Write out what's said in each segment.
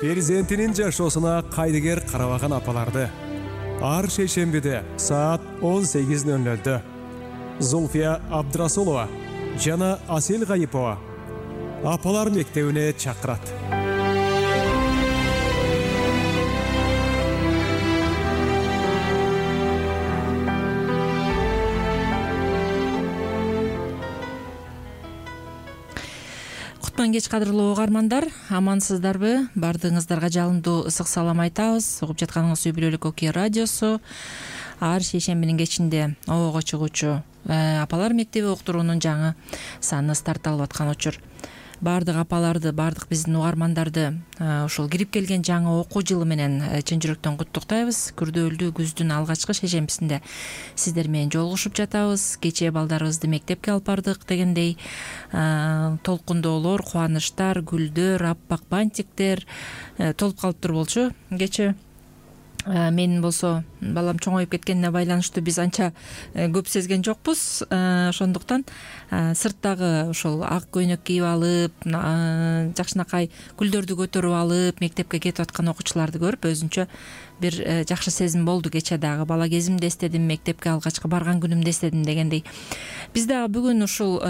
перзентинин жашоосуна кайдыгер карабаган апаларды ар шейшембиде саат 18:00 Зульфия Абдрасулова жана Асел Гайипова апалар мектебине чакырат. Кеч кадырлуу угармандар, амансыздарбы? Бардыгыңыздарга жалындуу ысык салам айтабыз. Угуп жатканыңыз Үй Бүлөлүк Окуя радиосу. Ар шейшембинин кечинде обого чыгуучу апалар мектеби уктуруунун жаңы саны старт алып аткан учур. Бардык апаларды, бардык биздин угармандарды ушул кирип келген жаңы окуу жылы менен чын жүрөктөн куттуктайбыз. Күрдөөлдүү күздүн алгачкы шейшембисинде сиздер менен жолугушуп жатабыз. Кечээ балдарыбызды мектепке алып бардык дегендей толкундоолор, кубанычтар, гүлдөр, аппак бантиктер толуп калыптыр болчу. Кечээ мен болсо балам чоңоюп кеткенине байланыштуу биз анча көп сезген жокпуз. Ошондуктан сырттагы ошол ак көйнөк кийип алып, жакшынакай гүлдөрдү көтөрүп алып мектепке кетип аткан окуучуларды көрүп өзүнчө бир жакшы сезим болду. Кечээ дагы бала кезимди эстедим, мектепке алгачкы барган күнүмдү эстедим дегендей. Биз дагы бүгүн ушул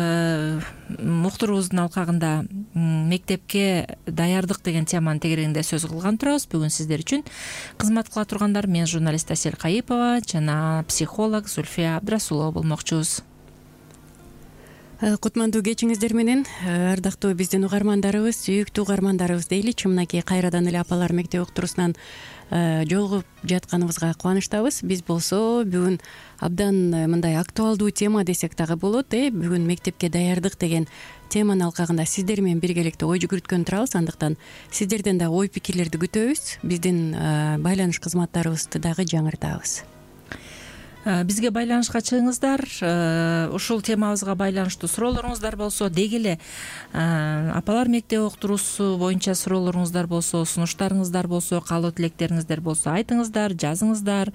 уктуруубуздун алкагында мектепке даярдык деген теманын тегерегинде сөз кылган турабыз. Бүгүн сиздер үчүн кызмат кыла тургандар мен журналист Асел Гайипова жана психолог Зульфия Абдрасулова болмокчубуз. Кутмандуу кечиңиздер менен ардактуу биздин угармандарыбыз, сүйүктүү угармандарыбыз дейличи. Мынакей кайрадан эле апалар мектеби уктуруусунан жолугуп жатканыбызга кубанычтабыз. Биз болсо бүгүн абдан мындай актуалдуу тема десек дагы болот. Бүгүн мектепке даярдык деген теманын алкагында сиздер менен биргеликте ой жүгүрткөн турабыз. Андыктан сиздерден да ой пикирлерди күтөбүз. Биздин байланыш кызматтарыбызды дагы жаңыртабыз. Бизге байланышка чыгыңыздар. Ушул темабызга байланыштуу суроолоруңуздар болсо, деги эле апалар мектеби уктуруусу боюнча суроолоруңуздар болсо, сунуштарыңыздар болсо, каалоо тилектериңиздер болсо айтыңыздар, жазыңыздар.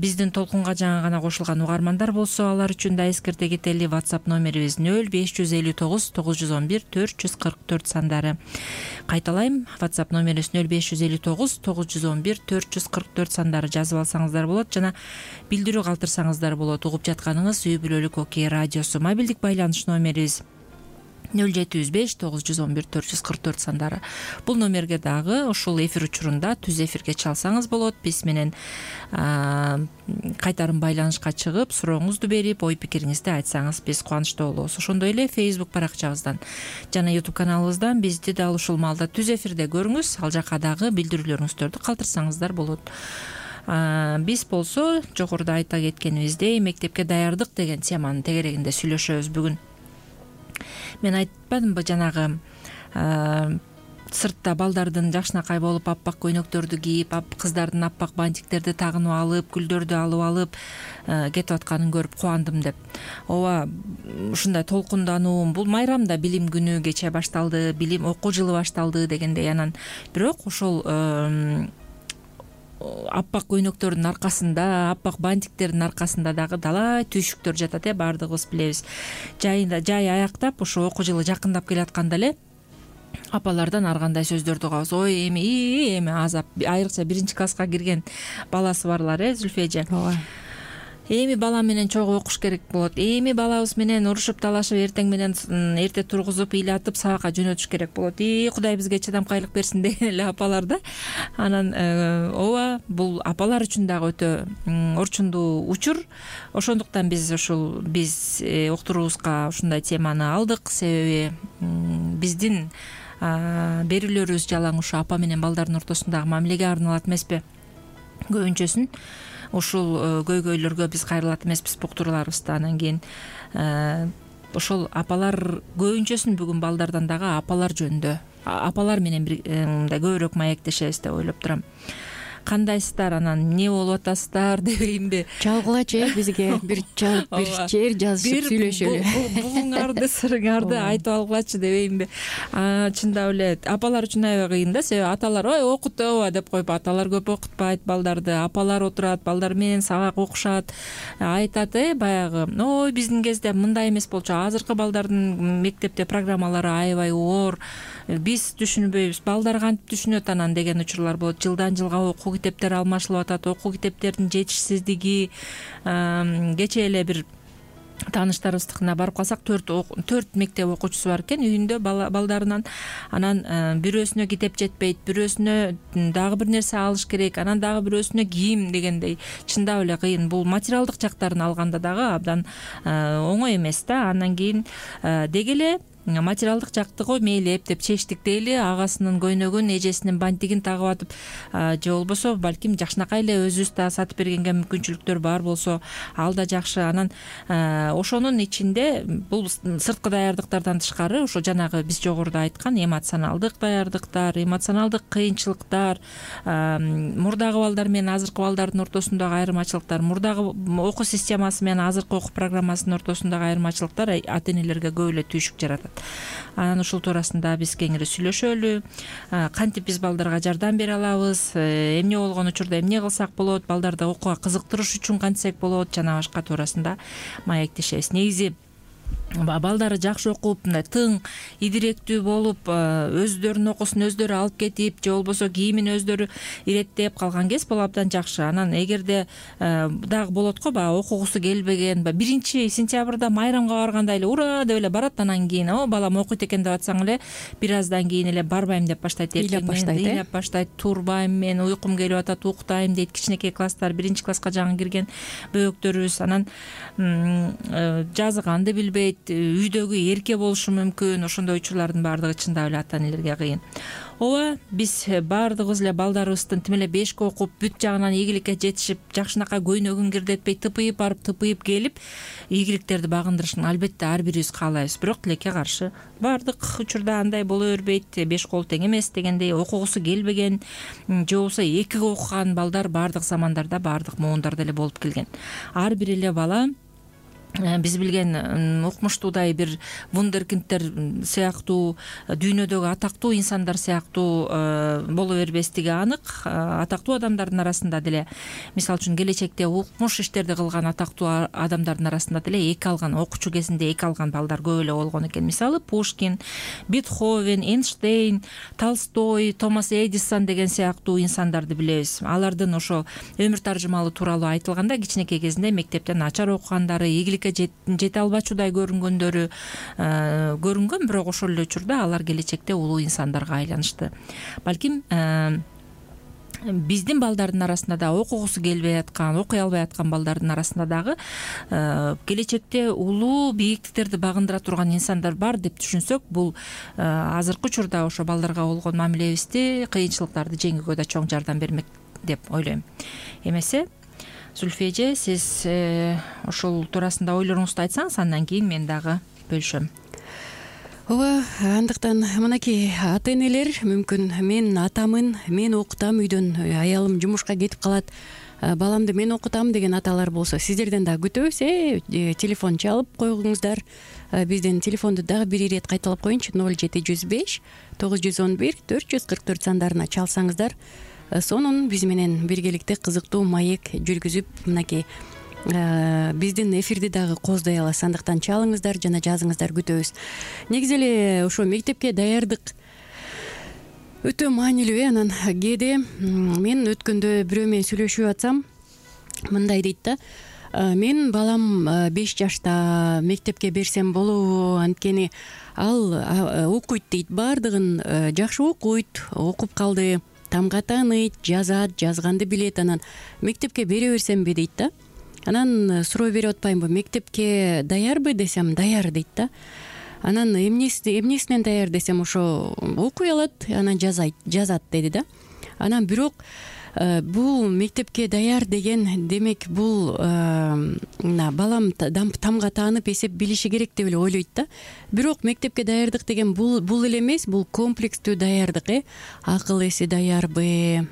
Биздин толкунга жаңы гана кошулган угармандар болсо, алар үчүн да эскерте кетели. WhatsApp номерибиз 0559 911 444 сандары. Кайталайм, WhatsApp номерибиз 0559 911 444 сандары. Жазып алсаңыздар болот жана билдирүү калтырсаңыздар болот. Угуп жатканыңыз Үй Бүлөлүк Окуя радиосу. Мобилдик байланыш номерибиз 0705 911 444 сандары. Бул номерге дагы ушул эфир учурунда түз эфирге чалсаңыз болот. Биз менен кайтарым байланышка чыгып, сурооңузду берип, ой пикириңизди айтсаңыз биз кубанычтуу болобуз. Ошондой эле Facebook баракчабыздан жана YouTube каналыбыздан бизди дал ушул маалда түз эфирде көрүңүз. Ал жака дагы билдирүүлөрүңүздөрдү калтырсаңыздар болот. Биз болсо жогоруда айта кеткенибиздей мектепке даярдык деген теманын тегерегинде сүйлөшөбүз бүгүн. Мен айтпадымбы жанагы сыртта балдардын жакшынакай болуп аппак көйнөктөрдү кийип, кыздардын аппак бантиктерди тагынып алып, гүлдөрдү алып алып кетип атканын көрүп кубандым деп. Ооба, ушундай толкундануу, бул майрамда билим күнү кечээ башталды, билим окуу жылы башталды дегендей. Анан бирок ошол аппак көйнөктөрдүн аркасында, аппак бантиктердин аркасында дагы далай түйшүктөр жатат. Бардыгыбыз билебиз. Жай аяктап ушу окуу жылы жакындап келатканда эле апалардан ар кандай сөздөрдү угабыз. Ой, эми азап, айрыкча биринчи класска кирген баласы барлар, Зульфия эже. Ооба. Эми бала менен чогуу окуш керек болот. Эми балабыз менен урушуп талашып, эртең менен эрте тургузуп, ыйлатып сабакка жөнөтүш керек болот. Кудай бизге чыдамкайлык берсин деген эле апалар да. Анан ооба, бул апалар үчүн дагы өтө орчундуу учур. Ошондуктан биз уктуруубузга ушундай теманы алдык. Себеби биздин берүүлөрүбүз жалаң ушу апа менен балдардын ортосундагы мамилеге арналат эмеспи? Көбүнчөсүн ушул көйгөйлөргө биз кайрылат эмеспиз уктурууларыбызда. Анан кийин ошол апалар көбүнчөсүн бүгүн балдардан дагы апалар жөнүндө, апалар менен мындай көбүрөөк маектешебиз деп ойлоп турам. Кандайсыздар, анан эмне болуп атасыздар дебейинби? Чалгылачы бизге бир чалып, бир чейир жазышып сүйлөшөлү. Буңарды, сырыңарды айтып алгылачы дебейинби? Чындап эле апалар үчүн аябай кыйын да. Себеби аталар ой окутоба деп коюп, аталар көп окутпайт балдарды. Апалар отурат, балдар менен сабак окушат, айтат баягы ой биздин кезде мындай эмес болчу. Азыркы балдардын мектепте программалары аябай оор. биз түшүнбөйбүз, балдар кантип түшүнөт анан деген учурлар болот. Жылдан жылга окуу китептери алмашылып атат, окуу китептердин жетишсиздиги. Кечээ эле бир тааныштарыбыздыкына барып калсак, 4 мектеп окуучусу бар экен үйүндө балдарынан. Анан бирөөсүнө китеп жетпейт, бирөөсүнө дагы бир нерсе алыш керек, анан дагы бирөөсүнө кийим дегендей. Чындап эле кыйын. Бул материалдык жактарын алганда дагы абдан оңой эмес да. Андан кийин деги эле материалдык жактыгы мейли эптеп чечтик дейли, агасынын көйнөгүн, эжесинин бантигин тагып атып, же болбосо балким жакшынакай эле өзүбүз да сатып бергенге мүмкүнчүлүктөр бар болсо ал да жакшы. Анан ошонун ичинде бул сырткы даярдыктардан тышкары ошо жанагы биз жогоруда айткан эмоционалдык даярдыктар, эмоционалдык кыйынчылыктар, мурдагы балдар менен азыркы балдардын ортосундагы айырмачылыктар, мурдагы окуу системасы менен азыркы окуу программасынын ортосундагы айырмачылыктар ата энелерге көп эле түйшүк жаратат. Анан ушул туурасында биз кеңири сүйлөшөлү, кантип биз балдарга жардам бере алабыз, эмне болгон учурда эмне кылсак болот, балдарды окууга кызыктырыш үчүн кантсек болот, жана башка туурасында маектешебиз. Негизи балдары жакшы окуп, мындай тың, идиректүү болуп, өздөрүнүн окуусун өздөрү алып кетип, же болбосо кийимин өздөрү иреттеп калган кез бул абдан жакшы. Анан эгерде дагы болот го, баягы окугусу келбеген, 1-сентябрда майрамга барганда эле ура деп эле барат, анан кийин балам окуйт экен деп атсаң эле бир аздан кийин эле барбайм деп баштайт, ыйлап баштайт, турбайм, мен уйкум келип атат, уктайм дейт. Кичинекей класстар, 1-класска жаңы кирген бөбөктөрүбүз. Анан жазганды билбейт, үйдөгү эрке болушу мүмкүн. Ошондой учурлардын баардыгы чындап эле ата энелерге кыйын. Ооба, биз баардыгыбыз эле балдарыбыздын тим эле 5 окуп, бүт жагынан ийгиликке жетишип, жакшынакай көйнөгүн кирдетпей, тыпыйып барып, тыпыйып келип, ийгиликтерди багындырышын албетте ар бирибиз каалайбыз. Бирок тилекке каршы баардык учурда андай боло бербейт. 5 кол тең эмес дегендей, окугусу келбеген, же болбосо 2 окуган балдар баардык замандарда, баардык муундарда эле болуп келген. Ар бир эле бала биз билген укмуштуудай бир вундеркиндтер сыяктуу, дүйнөдөгү атактуу инсандар сыяктуу боло бербестиги анык. Атактуу адамдардын арасында деле, мисалы үчүн келечекте укмуш иштерди кылган атактуу адамдардын арасында деле 2 алган, окуучу кезинде 2 алган балдар көп эле болгон экен. Мисалы Пушкин, Бетховен, Эйнштейн, Толстой, Томас Эдисон деген сыяктуу инсандарды билебиз. Алардын ошо өмүр таржымалы тууралуу айтылганда кичинекей кезинде мектептен начар окугандары, ийгиликке жете албачудай көрүнгөндөрү көрүнгөн, бирок ошол эле учурда алар келечекте улуу инсандарга айланышты. Балким биздин балдардын арасында да окугусу келбей аткан, окуй албай аткан балдардын арасында дагы келечекте улуу бийиктиктерди багындыра турган инсандар бар деп түшүнсөк, бул азыркы учурда ошо балдарга болгон мамилебизди, кыйынчылыктарды жеңүүгө да чоң жардам бермек деп ойлойм. Эмесе Зүлфия эже, сиз ошол туурасында ойлоруңузду айтсаңыз, андан кийин мен дагы бөлүшөм. Ооба, андыктан мынакей ата энелер, мүмкүн мен атамын, мен окутам үйдөн, аялым жумушка кетип калат, баламды мен окутам деген аталар болсо, сиздерден дагы күтөбүз. Телефон чалып койгуңуздар. Биздин телефонду дагы бир ирет кайталап коеюнчу: 0705 911 444 сандарына чалсаңыздар, сонун биз менен биргеликте кызыктуу маек жүргүзүп, мынакей биздин эфирди дагы кооздой аласыз. Андыктан чалыңыздар жана жазыңыздар, күтөбүз. Негизи эле ошо мектепке даярдык өтө маанилүү. Анан кээде мен өткөндө бирөө менен сүйлөшүп атсам, мындай дейт да: мен балам 5 жашта, мектепке берсем болобу, анткени ал окуйт дейт, баардыгын жакшы окуйт, окуп калды, тамга тааныйт, жазат, жазганды билет, анан мектепке бере берсемби дейт да. Анан суроо берип атпаймынбы, мектепке даярбы десем, даяр дейт да. Анан эмнесинен даяр десем, ошо окуй алат, анан жазат деди да. Анан бирок бул мектепке даяр деген демек бул балам тамга таанып эсеп билиши керек деп эле ойлойт да. Бирок мектепке даярдык деген бул эле эмес, бул комплекстүү даярдык. Акыл эси даярбы,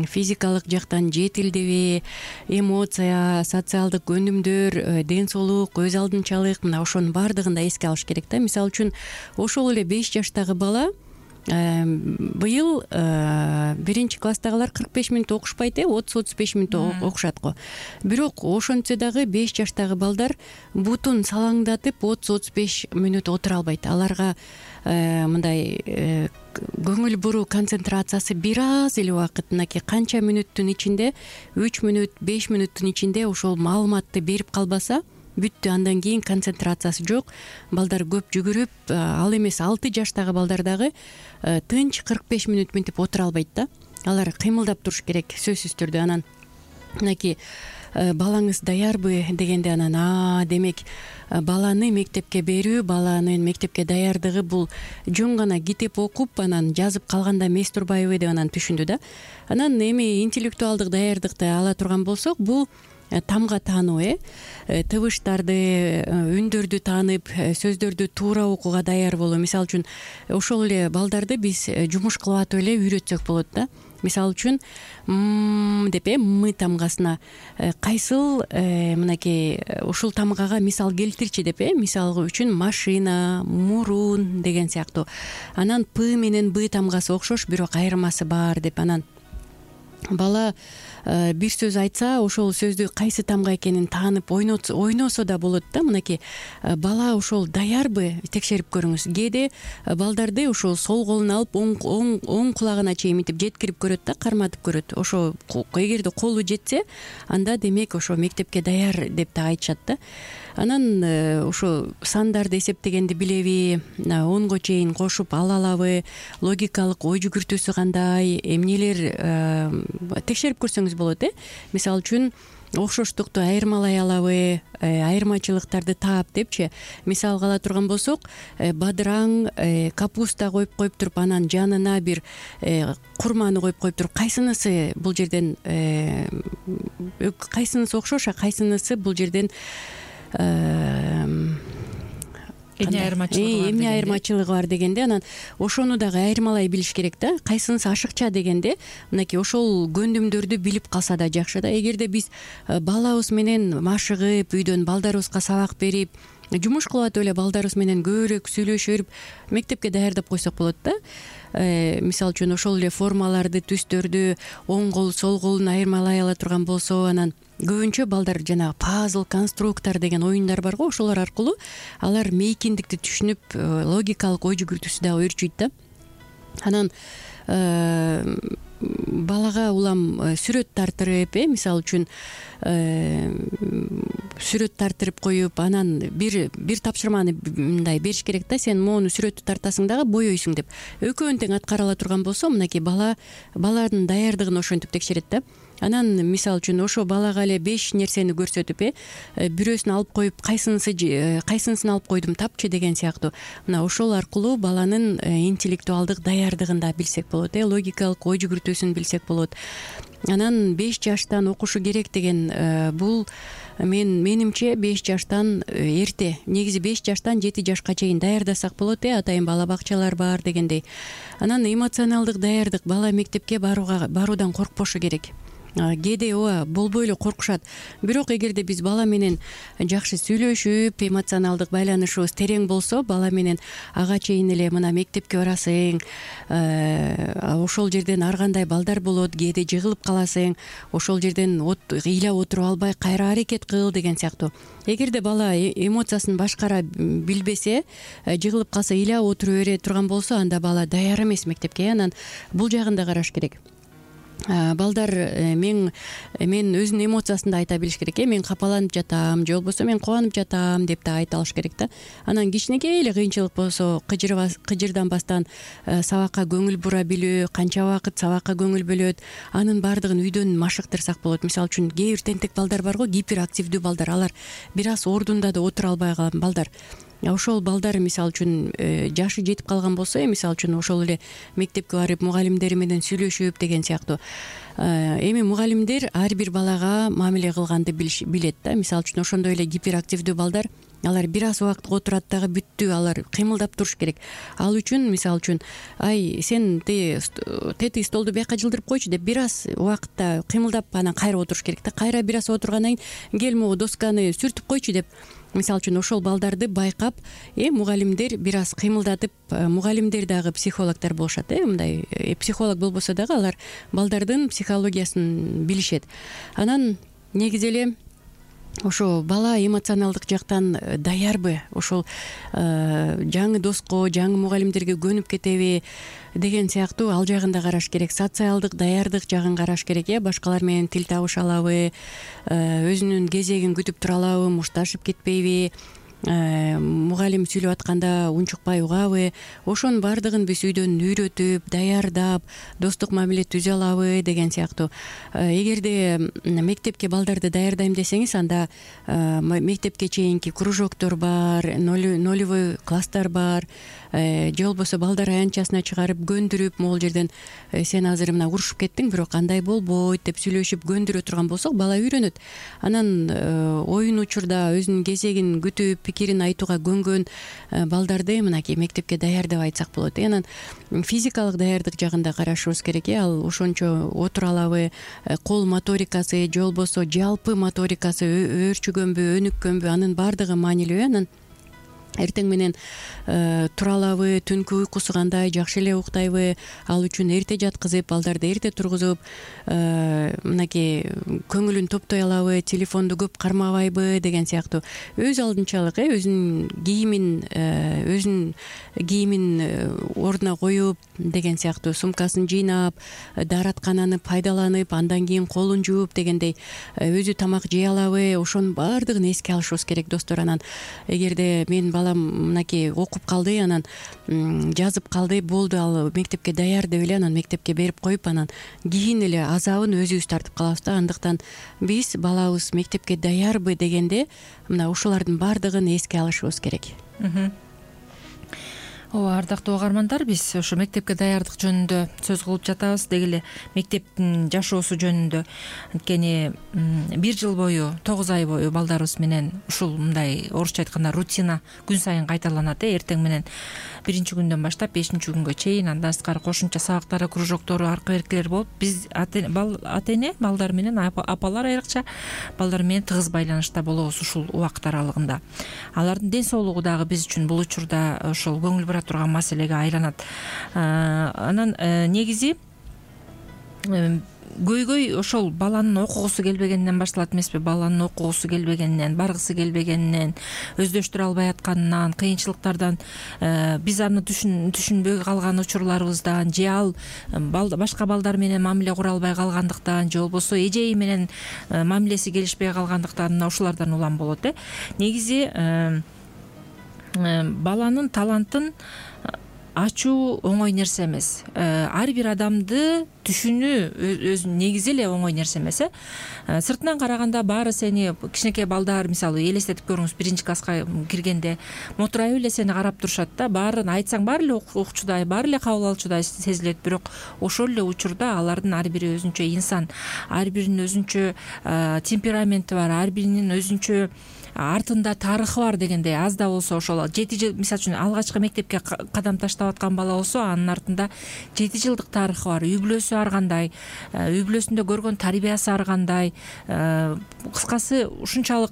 физикалык жактан жетилдиби, эмоция, социалдык өнүмдөр, ден соолук, өз алдынчалык, мына ошонун баардыгын да эске алыш керек да. Мисалы үчүн ошол эле 5 жаштагы бала быйыл 1-класстагылар 45 мүнөт окушпайт, 30-35 мүнөт окушат го. Бирок ошентсе дагы 5 жаштагы балдар бутун салаңдатып 30-35 мүнөт отура албайт. Аларга мындай көңүл буруу концентрациясы бир аз эле убакыт, мынакей канча мүнөттүн ичинде, 3 мүнөт 5 мүнөттүн ичинде ошол маалыматты берип калбаса бүттү. Андан кийин концентрациясы жок. Балдар көп жүгүрүп, ал эмес 6 жаштагы балдар дагы тынч 45 мүнөт мынтип отура албайт да. Алар кыймылдап туруш керек сөзсүз түрдө. Анан мынакей балаңыз даярбы дегенде, анан демек баланы мектепке берүү, баланын мектепке даярдыгы бул жөн гана китеп окуп анан жазып калганда эмес турбайбы деп анан түшүндү да. Анан эми интеллектуалдык даярдыкты ала турган болсок, бул тамга таануу, тыбыштарды, үндөрдү таанып, сөздөрдү туура окууга даяр болуу. Мисалы үчүн ошол эле балдарды биз жумуш кылып атып эле үйрөтсөк болот да. Мисалы үчүн деп мы тамгасына кайсыл мынакей ушул тамгага мисал келтирчи деп мисалы үчүн машина, мурун деген сыяктуу. Анан п менен б тамгасы окшош, бирок айырмасы бар деп. Анан бала бир сөз айтса, ошол сөздү кайсы тамга экенин таанып ойносо да болот да. Мынакей бала ошол даярбы текшерип көрүңүз. Кээде балдарды ошол сол колун алып оң кулагына чейин мынтип жеткирип көрөт да, карматып көрөт. Ошо эгерде колу жетсе, анда демек ошо мектепке даяр деп да айтышат да. Анан ошо сандарды эсептегенди билеби, 10го чейин кошуп ала алабы, логикалык ой жүгүртүүсү кандай, эмнелер текшерип көрсөңүз болот. Мисалы үчүн окшоштукту айырмалай алабы, айырмачылыктарды таап депчи. Мисал ала турган болсок, бадыраң капуста коюп туруп, анан жанына бир курманы коюп туруп, кайсынысы бул жерден кайсынысы окшош, кайсынысы бул жерден эмне айырмачылыгы бар дегенде, анан ошону дагы айырмалай билиш керек да. Кайсынысы ашыкча дегенде, мынакей ошол көндүмдөрдү билип калса да жакшы да. Эгерде биз балабыз менен машыгып, үйдөн балдарыбызга сабак берип, жумуш кылып атып эле балдарыбыз менен көбүрөөк сүйлөшүп, мектепке даярдап койсок болот да. Мисалы үчүн ошол эле формаларды, түстөрдү оң кол, сол колун айырмалай ала турган болсо, анан көбүнчө балдар жанагы пазл, конструктор деген оюндар бар го, ошолор аркылуу алар мейкиндикти түшүнүп, логикалык ой жүгүртүүсү дагы өөрчүйт да. Анан балага улам сүрөт тартырып, мисалы үчүн сүрөт тартырып коюп, анан бир тапшырманы мындай бериш керек да. Сен моуну сүрөттү тартасың дагы боёйсуң деп. Экөөнү тең аткара ала турган болсо, мынакей баланын даярдыгын ошентип текшерет да. Анан мисалы үчүн ошо балага эле 5 нерсени көрсөтүп, бирөөсүн алып коюп, кайсынысын алып койдум тапчы деген сыяктуу. Мына ошол аркылуу баланын интеллектуалдык даярдыгын да билсек болот, логикалык ой жүгүртүүсүн билсек болот. Анан 5 жаштан окушу керек деген бул менимче 5 жаштан эрте. Негизи 5 жаштан 7 жашка чейин даярдасак болот, атайын бала бакчалар бар дегендей. Анан эмоционалдык даярдык, бала мектепке баруудан коркпошу керек. Кээде болбой эле коркушат. Бирок эгерде биз бала менен жакшы сүйлөшүп, эмоционалдык байланышыбыз терең болсо, бала менен ага чейин эле мына мектепке барасың, ошол жерден ар кандай балдар болот, кээде жыгылып каласың, ошол жерден ыйлап отуруп албай кайра аракет кыл деген сыяктуу. Эгерде бала эмоциясын башкара билбесе, жыгылып калса, ыйлап отура бере турган болсо, анда бала даяр эмес мектепке. Анан бул жагын да караш керек. Балдар мен өзүнүн эмоциясын да айта билиш керек. Мен капаланып жатам, же болбосо мен кубанып жатам деп да айта алыш керек да. Анан кичинекей эле кыйынчылык болсо, кыжырданбастан сабакка көңүл бура билүү, канча убакыт сабакка көңүл бөлөт, анын баардыгын үйдөн машыктырсак болот. Мисалы үчүн кээ бир тентек балдар бар го, гиперактивдүү балдар, алар бир аз ордунда да отура албай калган балдар. Ошол балдар мисалы үчүн жашы жетип калган болсо, мисалы үчүн ошол эле мектепке барып мугалимдери менен сүйлөшүп деген сыяктуу. Эми мугалимдер ар бир балага мамиле кылганды билет да. Мисалы үчүн ошондой эле гиперактивдүү балдар, алар бир аз убакыт отурат дагы бүттү, алар кыймылдап туруш керек. Ал үчүн мисалы үчүн сен тети столду бияка жылдырып койчу деп бир аз убакытта кыймылдап анан кайра отуруш керек да. Кайра бир аз отургандан кийин кел могу досканы сүртүп койчу деп, мисалы үчүн ошол балдарды байкап, мугалимдер бир аз кыймылдатып, мугалимдер дагы психологдор болушат, мындай психолог болбосо дагы алар балдардын психологиясын билишет. Анан негизи эле ошо бала эмоционалдык жактан даярбы, ошол жаңы доско, жаңы мугалимдерге көнүп кетеби деген сыяктуу ал жагын да караш керек. Социалдык даярдык жагын караш керек. Башкалар менен тил табыша алабы, өзүнүн кезегин күтүп тура алабы, мушташып кетпейби, мугалим сүйлөп атканда унчукпай угабы, ошонун баардыгын биз үйдөн үйрөтүп, даярдап, достук мамиле түзө алабы деген сыяктуу. Эгерде мектепке балдарды даярдайм десеңиз, анда мектепке чейинки кружоктор бар, нолевой класстар бар, же болбосо балдар аянтчасына чыгарып көндүрүп, могул жерден сен азыр мына урушуп кеттиң, бирок андай болбойт деп сүйлөшүп көндүрө турган болсок, бала үйрөнөт. Анан оюн учурда өзүнүн кезегин күтүп, пикирин айтууга көнгөн балдарды мынакей мектепке даяр деп айтсак болот. Анан физикалык даярдык жагын да карашыбыз керек. Ал ошончо отура алабы, кол моторикасы же болбосо жалпы моторикасы өөрчүгөнбү, өнүккөнбү, анын баардыгы маанилүү. Анан эртең менен тура алабы, түнкү уйкусу кандай, жакшы эле уктайбы, ал үчүн эрте жаткызып, балдарды эрте тургузуп, мынакей көңүлүн топтой алабы, телефонду көп кармабайбы деген сыяктуу өз алдынчалык өзүнүн кийимин ордуна коюп деген сыяктуу, сумкасын жыйнап, даараткананы пайдаланып, андан кийин колун жууп дегендей өзү тамак жей алабы, ошонун баардыгын эске алышыбыз керек достор. Анан эгерде менин балам мынакей окуп калды, анан жазып калды, болду, ал мектепке даяр деп эле анан мектепке берип коюп, анан кийин эле азабын өзүбүз тартып калабыз да. Андыктан биз балабыз мектепке даярбы дегенде мына ушулардын баардыгын эске алышыбыз керек. Ооба, ардактуу угармандар, биз ошо мектепке даярдык жөнүндө сөз кылып жатабыз, деги эле мектептин жашоосу жөнүндө. Анткени 1 жыл бою, 9 ай бою балдарыбыз менен ушул мындай орусча айтканда рутина күн сайын кайталанат. Эртең менен 1 күндөн баштап 5 күнгө чейин, андан сырткары кошумча сабактары, кружоктору, аркы беркилер болуп, биз ата-эне балдар менен, апалар айрыкча балдар менен тыгыз байланышта болобуз ушул убакыт аралыгында. Алардын ден соолугу дагы биз үчүн бул учурда ошол көңүл бура турган маселеге айланат. Анан негизи көйгөй ошол баланын окугусу келбегенинен башталат эмеспи? Баланын окугусу келбегенинен, баргысы келбегенинен, өздөштүрө албай атканынан, кыйынчылыктардан, биз аны түшүнбөй калган учурларыбыздан, же ал башка балдар менен мамиле кура албай калгандыктан, же болбосо эжеи менен мамилеси келишпей калгандыктан, ушулардан улам болот. Негизи баланын талантын ачуу оңой нерсе эмес. Ар бир адамды түшүнүү өзүнүн негизи эле оңой нерсе эмес. Сыртынан караганда баары сени, кичинекей балдар мисалы элестетип көрүңүз, 1-класска киргенде мотурайып эле сени карап турушат да, баарын айтсаң баары эле укчудай, баары эле кабыл алчудай сезилет. Бирок ошол эле учурда алардын ар бири өзүнчө инсан, ар биринин өзүнчө темпераменти бар, ар биринин өзүнчө артында тарыхы бар дегендей. Аз да болсо ошол 7 жыл, мисалы үчүн алгачкы мектепке кадам таштап аткан бала болсо, анын артында 7 жылдык тарыхы бар. Үй бүлөсү ар кандай, үй бүлөсүндө көргөн тарбиясы ар кандай, кыскасы ушунчалык.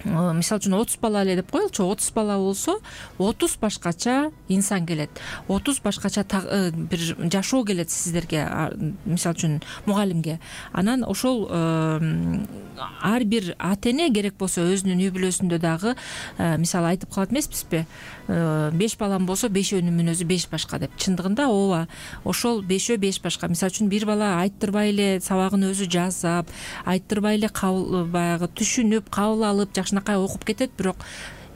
Мисалы үчүн 30 бала эле деп коелучу, 30 бала болсо 30 башкача инсан келет, 30 башкача бир жашоо келет сиздерге, мисалы үчүн мугалимге. Анан ошол ар бир ата-эне керек болсо өзүнүн үй бүлөсүндө дагы мисалы айтып калат эмеспизби? 5 балам болсо 5өөнүн өзү 5 башка деп. Чындыгында ооба, ошол 5 башка. Мисалы үчүн бир бала айттырбай эле сабагын өзү жазап, айттырбай эле баягы түшүнүп, кабыл алып, жакшынакай окуп кетет, бирок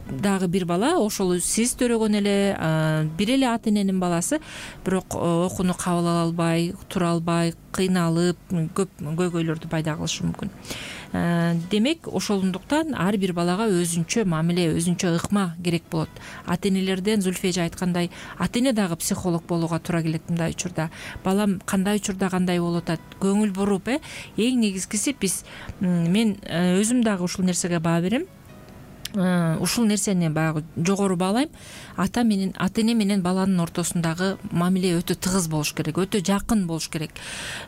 дагы бир бала ошол сиз төрөгөн эле бир эле ата-эненин баласы, бирок окууну кабыл ала албай, тура албай, кыйналып, көп көйгөйлөрдү пайда кылышы мүмкүн. Демек, ошондуктан ар бир балага өзүнчө мамиле, өзүнчө ыкма керек болот. Ата-энелерден Зульфия эже айткандай, ата-эне дагы психолог болууга туура келет мындай учурда. Балам кандай учурда кандай болуп атат, көңүл буруп, эң негизгиси мен өзүм дагы ушул нерсеге баа берем. ушул нерсени баягы жогору баалайм. Ата эне менен баланын ортосундагы мамиле өтө тыгыз болуш керек, өтө жакын болуш керек.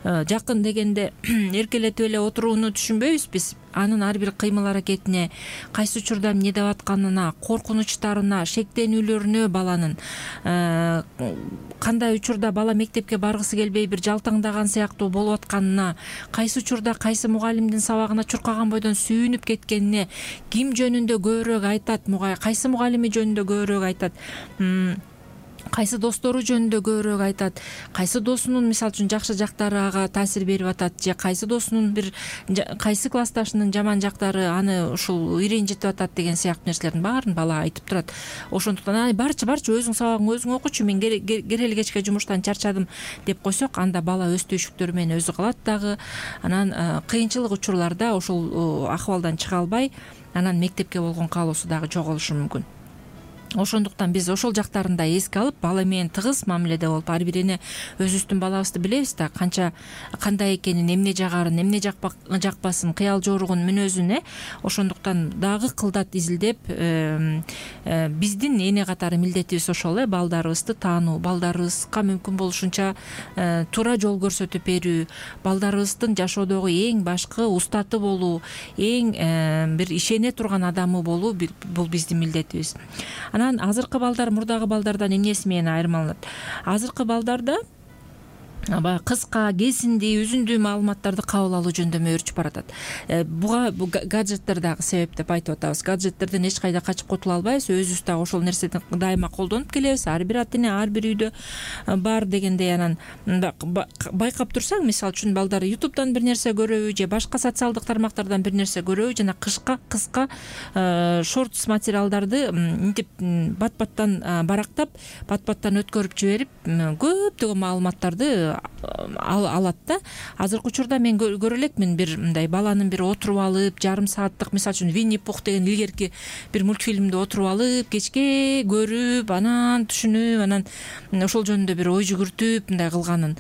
Жакын дегенде эркелетип эле отурууну түшүнбөйбүз биз. Анын ар бир кыймыл аракетине, кайсы учурда эмне деп атканына, коркунучтарына, шектенүүлөрүнө баланын кандай учурда бала мектепке баргысы келбей бир жалтаңдаган сыяктуу болуп атканына, кайсы учурда кайсы мугалимдин сабагына чуркаган бойдон сүйүнүп кеткенине, ким жөнүндө көбүрөөк айтат, кайсы мугалими жөнүндө көбүрөөк айтат, кайсы достору жөнүндө көбүрөөк айтат, кайсы досунун мисалы үчүн жакшы жактары ага таасир берип атат, же кайсы досунун кайсы классташынын жаман жактары аны ушул иренжитип атат деген сыяктуу нерселердин баарын бала айтып турат. Ошондуктан барчы өзүң сабагыңды өзүң окучу, мен керели кечке жумуштан чарчадым деп койсок, анда бала өз түйшүктөрү менен өзү калат дагы. Анан кыйынчылык учурларда ошол акыбалдан чыга албай, анан мектепке болгон каалоосу дагы жоголушу мүмкүн. Ошондуктан биз ошол жактарын да эске алып, бала менен тыгыз мамиледе болуп, ар бир эне өзүбүздүн балабызды билебиз да, кандай экенин, эмне жагарын, эмне жакпасын, кыял жоругун, мүнөзүн. Ошондуктан дагы кылдат изилдеп, биздин эне катары милдетибиз ошол, балдарыбызды таануу, балдарыбызга мүмкүн болушунча туура жол көрсөтүп берүү, балдарыбыздын жашоодогу эң башкы устаты болуу, эң бир ишене турган адамы болуу, бул биздин милдетибиз. Анан азыркы балдар мурдагы балдардан эмнеси менен айырмаланат? Азыркы балдарда кыска, кесиндүү, үзүндүү маалыматтарды кабыл алуу жөндөмү өөрчүп баратат. Буга гаджеттер дагы себеп деп айтып атабыз. Гаджеттерден эч кайда качып кутула албайбыз. Өзүбүз дагы ошол нерсени дайыма колдонуп келебиз. Ар бир ата эне ар бир үйдө бар дегендей. Анан байкап турсаң, мисалы үчүн балдар YouTube'дан бир нерсе көрөбү, же башка социалдык тармактардан бир нерсе көрөбү, жана кыска шортс материалдарды мынтип бат-баттан барактап, бат-баттан өткөрүп жиберип, көптөгөн маалыматтарды алат да. Азыркы учурда мен көрө элекмин, бир мындай баланын бир отуруп алып, жарым сааттык, мисалы үчүн Винни Пух деген илгерки бир мультфильмди отуруп алып, кечке көрүп, анан түшүнүп, анан ошол жөнүндө бир ой жүгүртүп мындай кылганын,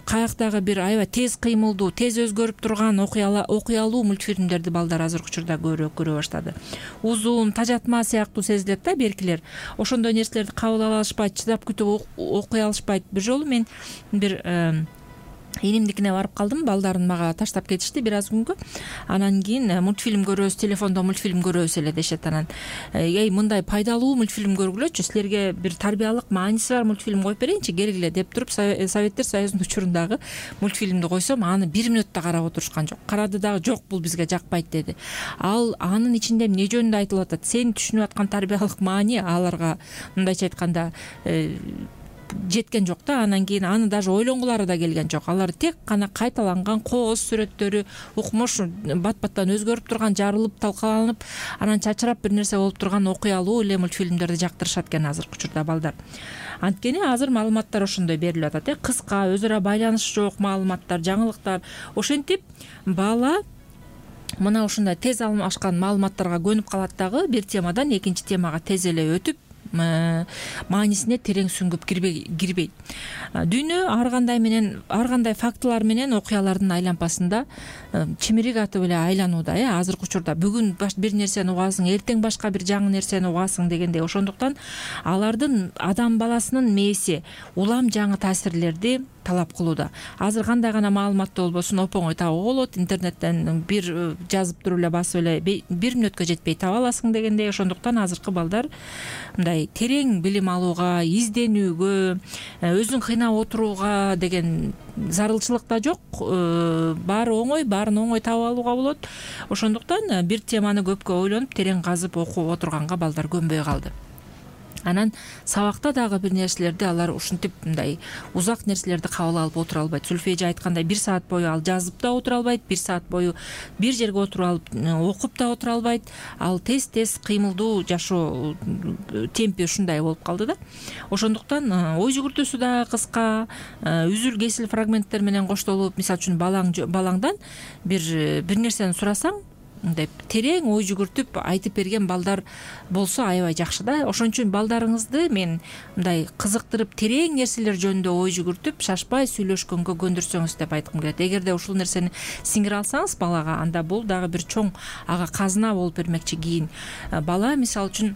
каяктагы бир аябай тез кыймылдуу, тез өзгөрүп турган окуялуу мультфильмдерди балдар азыркы учурда көбүрөөк көрө баштады. Узун, тажатма сыяктуу сезилет да беркилер. Ошондой нерселерди кабыл ала алышпайт, чыдап күтүп окуй алышпайт. Бир жолу мен бир энимдикине барып калдым, балдарын мага таштап кетишти бир аз күнгө. Анан кийин мультфильм көрөбүз, телефондо мультфильм көрөбүз эле дешет. Анан мындай пайдалуу мультфильм көргүлөчү, силерге бир тарбиялык мааниси бар мультфильм коюп берейинчи, келгиле деп туруп, Советтер Союзунун учурундагы мультфильмди койсом, аны 1 мүнөттө карап отурушкан жок. Карады дагы, жок, бул бизге жакпайт деди. Анын ичинде эмне жөнүндө айтылып атат, сен түшүнүп аткан тарбиялык маани аларга мындайча айтканда жеткен жок да. Анан кийин аны даже ойлонгулары да келген жок. Алар тек гана кайталанган кооз сүрөттөрү, укмуш бат-баттан өзгөрүп турган, жарылып, талкаланып, анан чачырап бир нерсе болуп турган окуялуу эле мультфильмдерди жактырышат экен азыркы учурда балдар. Анткени азыр маалыматтар ошондой берилип атат, кыска, өзү ара байланышы жок маалыматтар, жаңылыктар. Ошентип бала мына ушундай тез алмашкан маалыматтарга көнүп калат дагы, бир темадан экинчи темага тез эле өтүп, маанисине терең сүңгүп кирбейт. Дүйнө ар кандай фактылар менен окуялардын айланпасында чимирик атып эле айланууда. Азыркы учурда бүгүн бир нерсени угасың, эртең башка бир жаңы нерсени угасың дегендей. Ошондуктан алардын адам баласынын мээси улам жаңы таасирлерди талап кылууда. Азыр кандай гана маалыматты болбосун оп-оңой табууга болот. Интернеттен бир жазып туруп эле, басып эле 1 мүнөткө жетпей таба аласың дегендей. Ошондуктан азыркы балдар мындай терең билим алууга, изденүүгө, өзүн кыйнап отурууга деген зарылчылык да жок. Баары оңой, баарын оңой таап алууга болот. Ошондуктан бир теманы көпкө ойлонуп, терең казып окуп отурганга балдар көнбөй калды. Анан сабакта дагы бир нерселерди алар ушинтип мындай узак нерселерди кабыл алып отура албайт. Зүлфия айткандай 1 саат бою ал жазып да отура албайт, 1 саат бою бир жерге отуруп алып окуп да отура албайт. Ал тез кыймылдуу жашоо темпи ушундай болуп калды да. Ошондуктан ой жүгүртүүсү да кыска, үзүл кесил фрагменттер менен коштолуп, мисалы үчүн балаңдан бир нерсени сурасаң, деп терең ой жүгүртүп айтып берген балдар болсо аябай жакшы да. Ошон үчүн балдарыңызды мен мындай кызыктырып терең нерселер жөнүндө ой жүгүртүп шашпай сүйлөшкөнгө көндүрсөңүз деп айткым келет. Эгерде ушул нерсени сиңире алсаңыз балага, анда бул дагы бир чоң ага казына болуп бермекчи. Кийин бала мисалы үчүн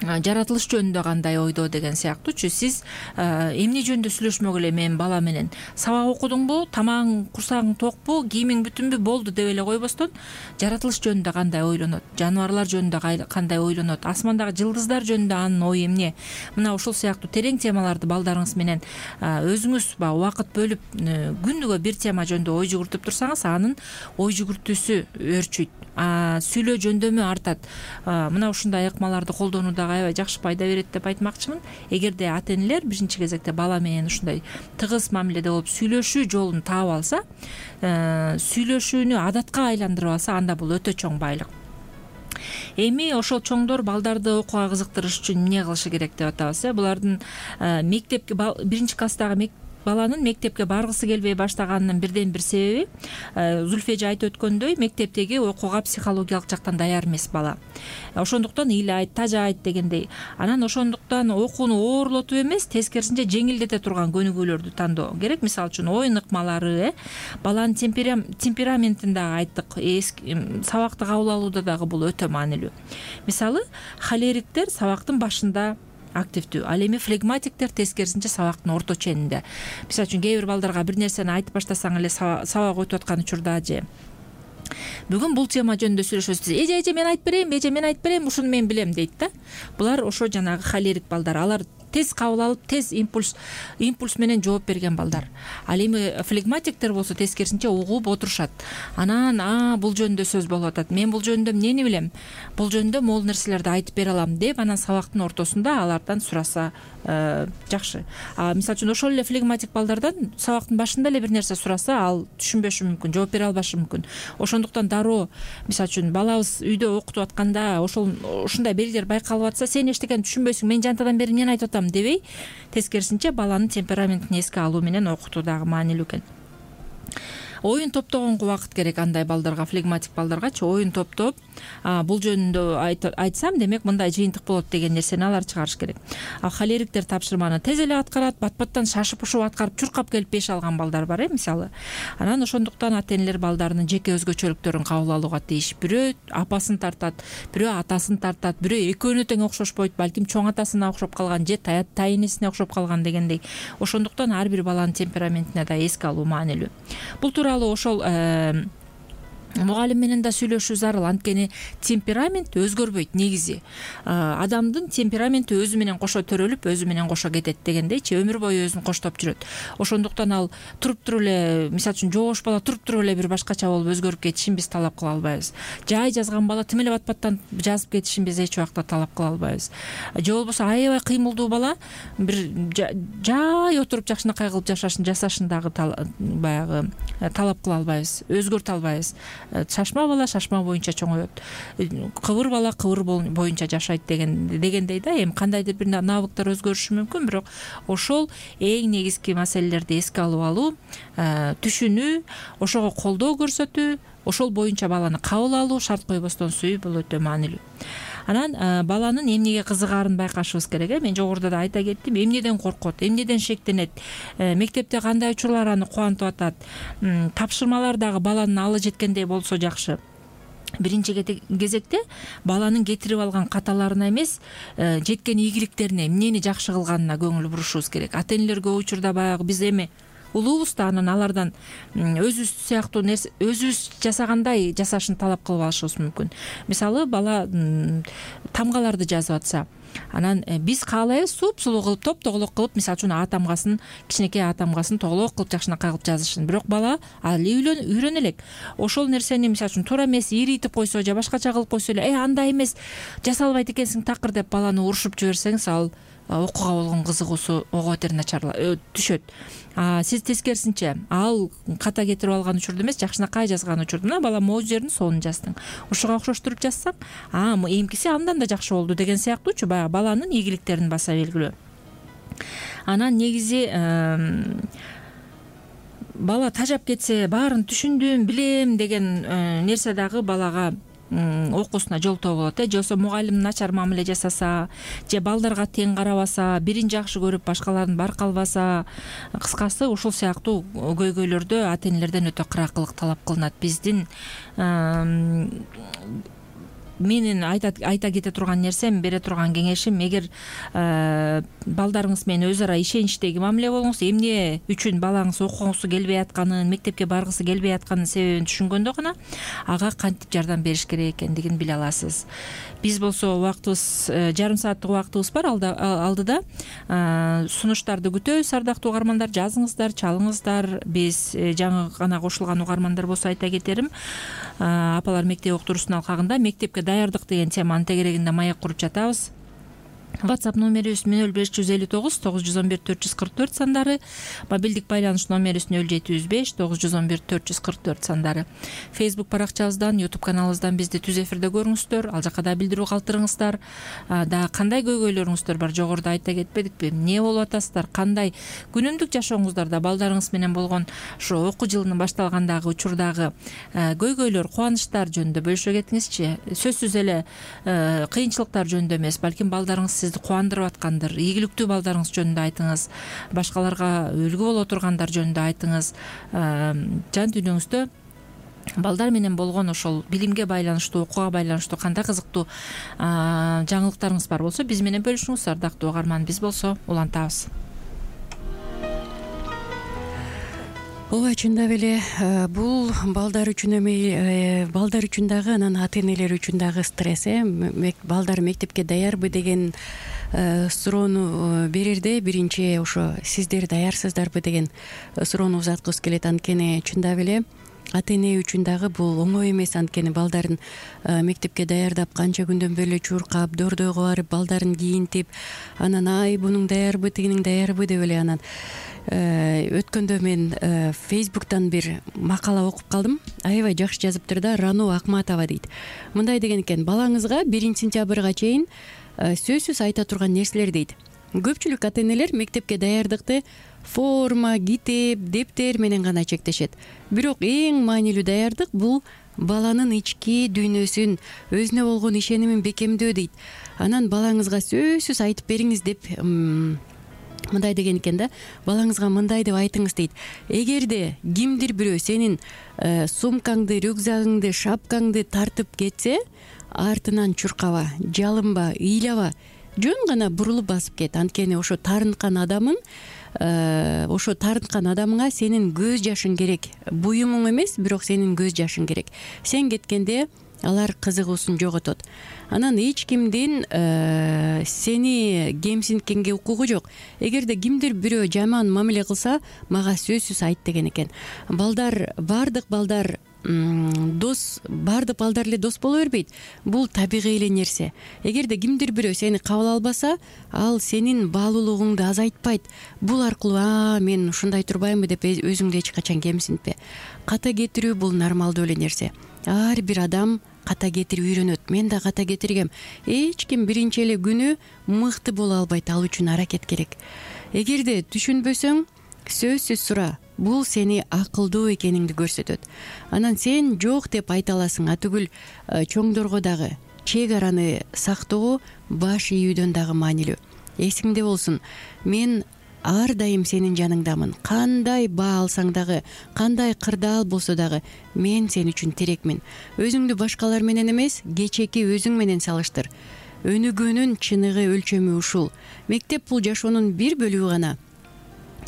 жаратылыш жөнүндө кандай ойдо деген сыяктуучу. Сиз эмне жөнүндө сүйлөшмөк эле менин бала менен? Сабак окудуңбу, тамагың, курсагың токпу, кийимиң бүтүнбү, болду деп эле койбостон, жаратылыш жөнүндө кандай ойлонот, жаныбарлар жөнүндө кандай ойлонот, асмандагы жылдыздар жөнүндө анын ою эмне? Мына ушул сыяктуу терең темаларды балдарыңыз менен өзүңүз убакыт бөлүп күнүгө бир тема жөнүндө ой жүгүртүп турсаңыз, анын ой жүгүртүүсү өөрчүйт, сүйлөө жөндөмү артат. Мына ушундай ыкмаларды колдонуу дагы аябай жакшы пайда берет деп айтмакчымын. Эгерде ата-энелер биринчи кезекте бала менен ушундай тыгыз мамиледе болуп сүйлөшүү жолун таап алса, сүйлөшүүнү адатка айландырып алса, анда бул өтө чоң байлык. Эми ошол чоңдор балдарды окууга кызыктырыш үчүн эмне кылышы керек деп атабыз? Булардын мектепке биринчи класстагы баланын мектепке баргысы келбей баштаганынын бирден бир себеби, Зульфия эже айтып өткөндөй, мектептеги окууга психологиялык жактан даяр эмес бала. Ошондуктан ыйлайт, тажайт дегендей. Анан ошондуктан окууну оорлотуп эмес, тескерисинче жеңилдете турган көнүгүүлөрдү тандоо керек. Мисалы үчүн оюн ыкмалары, баланын темпераментин дагы айттык. Сабакты кабыл алууда дагы бул өтө маанилүү. Мисалы, холериктер сабактын башында активдүү, ал эми флегматиктер тескерисинче сабактын орто ченинде. Мисалы үчүн кээ бир балдарга бир нерсени айтып баштасаң эле сабак өтүп аткан учурда же бүгүн бул тема жөнүндө сүйлөшөбүз. Эже мен айтып берейин, ушуну мен билем дейт да. Булар ошо жанагы холерик балдар. Алар тез кабыл алып, тез импульс менен жооп берген балдар. Ал эми флегматиктер болсо тескерисинче угуп отурушат. Анан бул жөнүндө сөз болуп атат. Мен бул жөнүндө эмнени билем? Бул жөнүндө могул нерселерди айтып бере алам деп, анан сабактын ортосунда алардан сураса жакшы. Мисалы үчүн ошол эле флегматик балдардан сабактын башында эле бир нерсе сураса, ал түшүнбөшү мүмкүн, жооп бере албашы мүмкүн. Ошондуктан дароо, мисалы үчүн балабыз үйдө окутуп атканда ушундай белгилер байкалып атса, сен эчтекени түшүнбөйсүң, мен жантадан бери эмнени айтып атам дебей, тескерисинче баланын темпераментин эске алуу менен окутуу дагы маанилүү экен. Оюн топтогонго убакыт керек андай балдарга, флегматик балдаргачы оюн топтоп, бул жөнүндө айтсам, демек мындай жыйынтык болот деген нерсени алар чыгарыш керек. Холериктер тапшырманы тез эле аткарат, бат-баттан шашып-ушуп аткарып, чуркап келип 5 алган балдар бар, мисалы. Анан ошондуктан ата-энелер балдарынын жеке өзгөчөлүктөрүн кабыл алууга тийиш. Бирөө апасын тартат, бирөө атасын тартат, бирөө экөөнө тең окшошпойт, балким чоң атасына окшоп калган же тайнесине окшоп калган дегендей. Ошондуктан ар бир баланын темпераментине да эске алуу маанилүү. Бул тууралуу ошол мугалим менен да сүйлөшүү зарыл. Анткени темперамент өзгөрбөйт негизи. Адамдын темпераменти өзү менен кошо төрөлүп, өзү менен кошо кетет дегендейчи, өмүр бою өзүн коштоп жүрөт. Ошондуктан ал туруп туруп эле, мисалы үчүн жоош бала туруп туруп эле бир башкача болуп өзгөрүп кетишин биз талап кыла албайбыз. Жай жазган бала тим эле бат-баттан жазып кетишин биз эч убакта талап кыла албайбыз. Же болбосо аябай кыймылдуу бала бир жай отуруп жакшынакай кылып жасашын дагы баягы талап кыла албайбыз, өзгөртө албайбыз. Шашма бала шашма боюнча чоңоет, кыбыр бала кыбыр боюнча жашайт дегендей да. Эми кандайдыр бир навыктар өзгөрүшү мүмкүн, бирок ошол эң негизги маселелерди эске алып алуу, түшүнүү, ошого колдоо көрсөтүү, ошол боюнча баланы кабыл алуу, шарт койбостон сүйүү, бул өтө маанилүү. Анан баланын эмнеге кызыгаарын байкашыбыз керек. Мен жогоруда да айта кеттим, эмнеден коркот, эмнеден шектенет, мектепте кандай учурлар аны кубантып атат, тапшырмалар дагы баланын алы жеткендей болсо жакшы. Биринчи кезекте баланын кетирип алган каталарына эмес, жеткен ийгиликтерине, эмнени жакшы кылганына көңүл бурушубуз керек. Ата-энелер көп учурда баягы биз эми улуубуз да анан алардан өзүбүз сыяктуу нерсе, өзүбүз жасагандай жасашын талап кылып алышыбыз мүмкүн. Мисалы, бала тамгаларды жазып атса, анан биз каалайбыз суп-сулуу кылып, топ-тоголок кылып, мисалы үчүн А тамгасын, кичинекей А тамгасын тоголок кылып жакшынакай кылып жазышын. Бирок бала али үйрөнө элек. Ошол нерсени мисалы үчүн туура эмес иритип койсо же башкача кылып койсо эле, андай эмес, жаса албайт экенсиң такыр деп баланы урушуп жиберсеңиз, ал окууга болгон кызыгуусу ого бетер түшөт. Сиз тескерисинче, ал ката кетирип алган учурда эмес, жакшынакай жазган учурда, мына бала могу жерин сонун жаздың, ушуга окшоштуруп жазсаң, эмкиси андан да жакшы болду деген сыяктуучу, баягы баланын ийгиликтерин баса белгилөө. Анан негизи бала тажап кетсе баарын түшүндүм билем деген нерсе дагы балага окуусуна жолтоо болот же болбосо мугалим начар мамиле жасаса же балдарга тең карабаса, бирин жакшы көрүп башкаларын барк албаса, кыскасы ушул сыяктуу көйгөйлөрдө ата энелерден өтө кыракылык талап кылынат. Биздин менин айта кете турган нерсем, бере турган кеңешим, эгер балдарыңыз менен өз ара ишеничтеги мамиле болуңуз, эмне үчүн балаңыз окугусу келбей атканын, мектепке баргысы келбей атканын себебин түшүнгөндө гана ага кантип жардам бериш керек экендигин биле аласыз. Биз болсо убактыбыз жарым сааттык убактыбыз бар алдыда. Сунуштарды күтөбүз, ардактуу угармандар, жазыңыздар, чалыңыздар. Биз жаңы гана кошулган угармандар болсо айта кетерим, апалар мектеп уктуруусунун алкагында мектепке даярдык деген теманын тегерегинде маек куруп жатабыз. WhatsApp номерибиз 0559 911 444 сандары, мобилдик байланыш номерибиз 0705 911 444 сандары. Facebook баракчабыздан, YouTube каналыбыздан бизди түз эфирде көрүңүздөр. Ал жака да билдирүү калтырыңыздар. Да кандай көйгөйлөрүңүздөр бар, жогоруда айта кетпедикпи? Эмне болуп атасыздар? Кандай күнүмдүк жашооңуздарда балдарыңыз менен болгон ошо окуу жылынын башталгандагы учурдагы көйгөйлөр, кубанычтар жөнүндө бөлүшө кетиңизчи. Сөзсүз эле кыйынчылыктар жөнүндө эмес, балким балдарыңыз сизди кубандырып аткандыр, ийгиликтүү балдарыңыз жөнүндө айтыңыз, башкаларга үлгү боло тургандар жөнүндө айтыңыз. Жан дүйнөңүздө балдар менен болгон ошол билимге байланыштуу, окууга байланыштуу кандай кызыктуу жаңылыктарыңыз бар болсо биз менен бөлүшүңүз, ардактуу угарман. Биз болсо улантабыз. ооба, чындап эле бул балдар үчүн балдар үчүн дагы, анан ата энелер үчүн дагы стресс. Балдар мектепке даярбы деген суроону берерде биринчи ошо сиздер даярсыздарбы деген суроону узаткыбыз келет. Анткени чындап эле ата эне үчүн дагы бул оңой эмес. Анткени балдарын мектепке даярдап, канча күндөн бери чуркап, дордойго барып, балдарын кийинтип, анан бунуң даярбы, тигинин даярбы деп эле анан өткөндө мен Facebook'тан бир макала окуп калдым. Аябай жакшы жазыптыр да. Рано Акматова дейт. Мындай деген экен: балаңызга 1-сентябрга чейин сөзсүз айта турган нерселер дейт. Көпчүлүк ата энелер мектепке даярдыкты форма, китеп, дептер менен гана чектешет. Бирок эң маанилүү даярдык бул баланын ички дүйнөсүн, өзүнө болгон ишенимин бекемдөө дейт. Анан балаңызга сөзсүз айтып бериңиз деп мындай деген экен да. Балаңызга мындай деп айтыңыз дейт: эгерде кимдир бирөө сенин сумкаңды, рюкзагыңды, шапкаңды тартып кетсе, артынан чуркаба, жалынба, ыйлаба, жөн гана бурулуп басып кет. Анткени ошо таарынткан адамыңа сенин көз жашың керек. Буюмуң эмес, бирок сенин көз жашың керек. Сен кеткенде алар кызыгуусун жоготот. Анан эч кимдин сени кемсинткенге укугу жок. Эгерде кимдир бирөө жаман мамиле кылса, мага сөзсүз айт деген экен. Бардык балдар эле дос боло бербейт. Бул табигый эле нерсе. Эгерде кимдир бирөө сени кабыл албаса, ал сенин баалуулугуңду азайтпайт. Бул аркылуу мен ушундай турбаймбы деп өзүңдү эч качан кемсинтпе. Ката кетирүү бул нормалдуу эле нерсе. Ар бир адам ката кетирип үйрөнөт. Мен да ката кетиргем. Эч ким биринчи эле күнү мыкты боло албайт. Ал үчүн аракет керек. Эгерде түшүнбөсөң, сөзсүз сура. Бул сени акылдуу экениңди көрсөтөт. Анан сен жок деп айта аласың. Атүгүл чоңдорго дагы чек араны сактоо баш ийүүдөн дагы маанилүү. Эсиңде болсун, мен ар дайым сенин жаныңдамын. Кандай баа алсаң дагы, кандай кырдаал болсо дагы мен сен үчүн тирекмин. Өзүңдү башкалар менен эмес, кечеки өзүң менен салыштыр. Өнүгүүнүн чыныгы өлчөмү ушул. Мектеп бул жашоонун бир бөлүгү гана.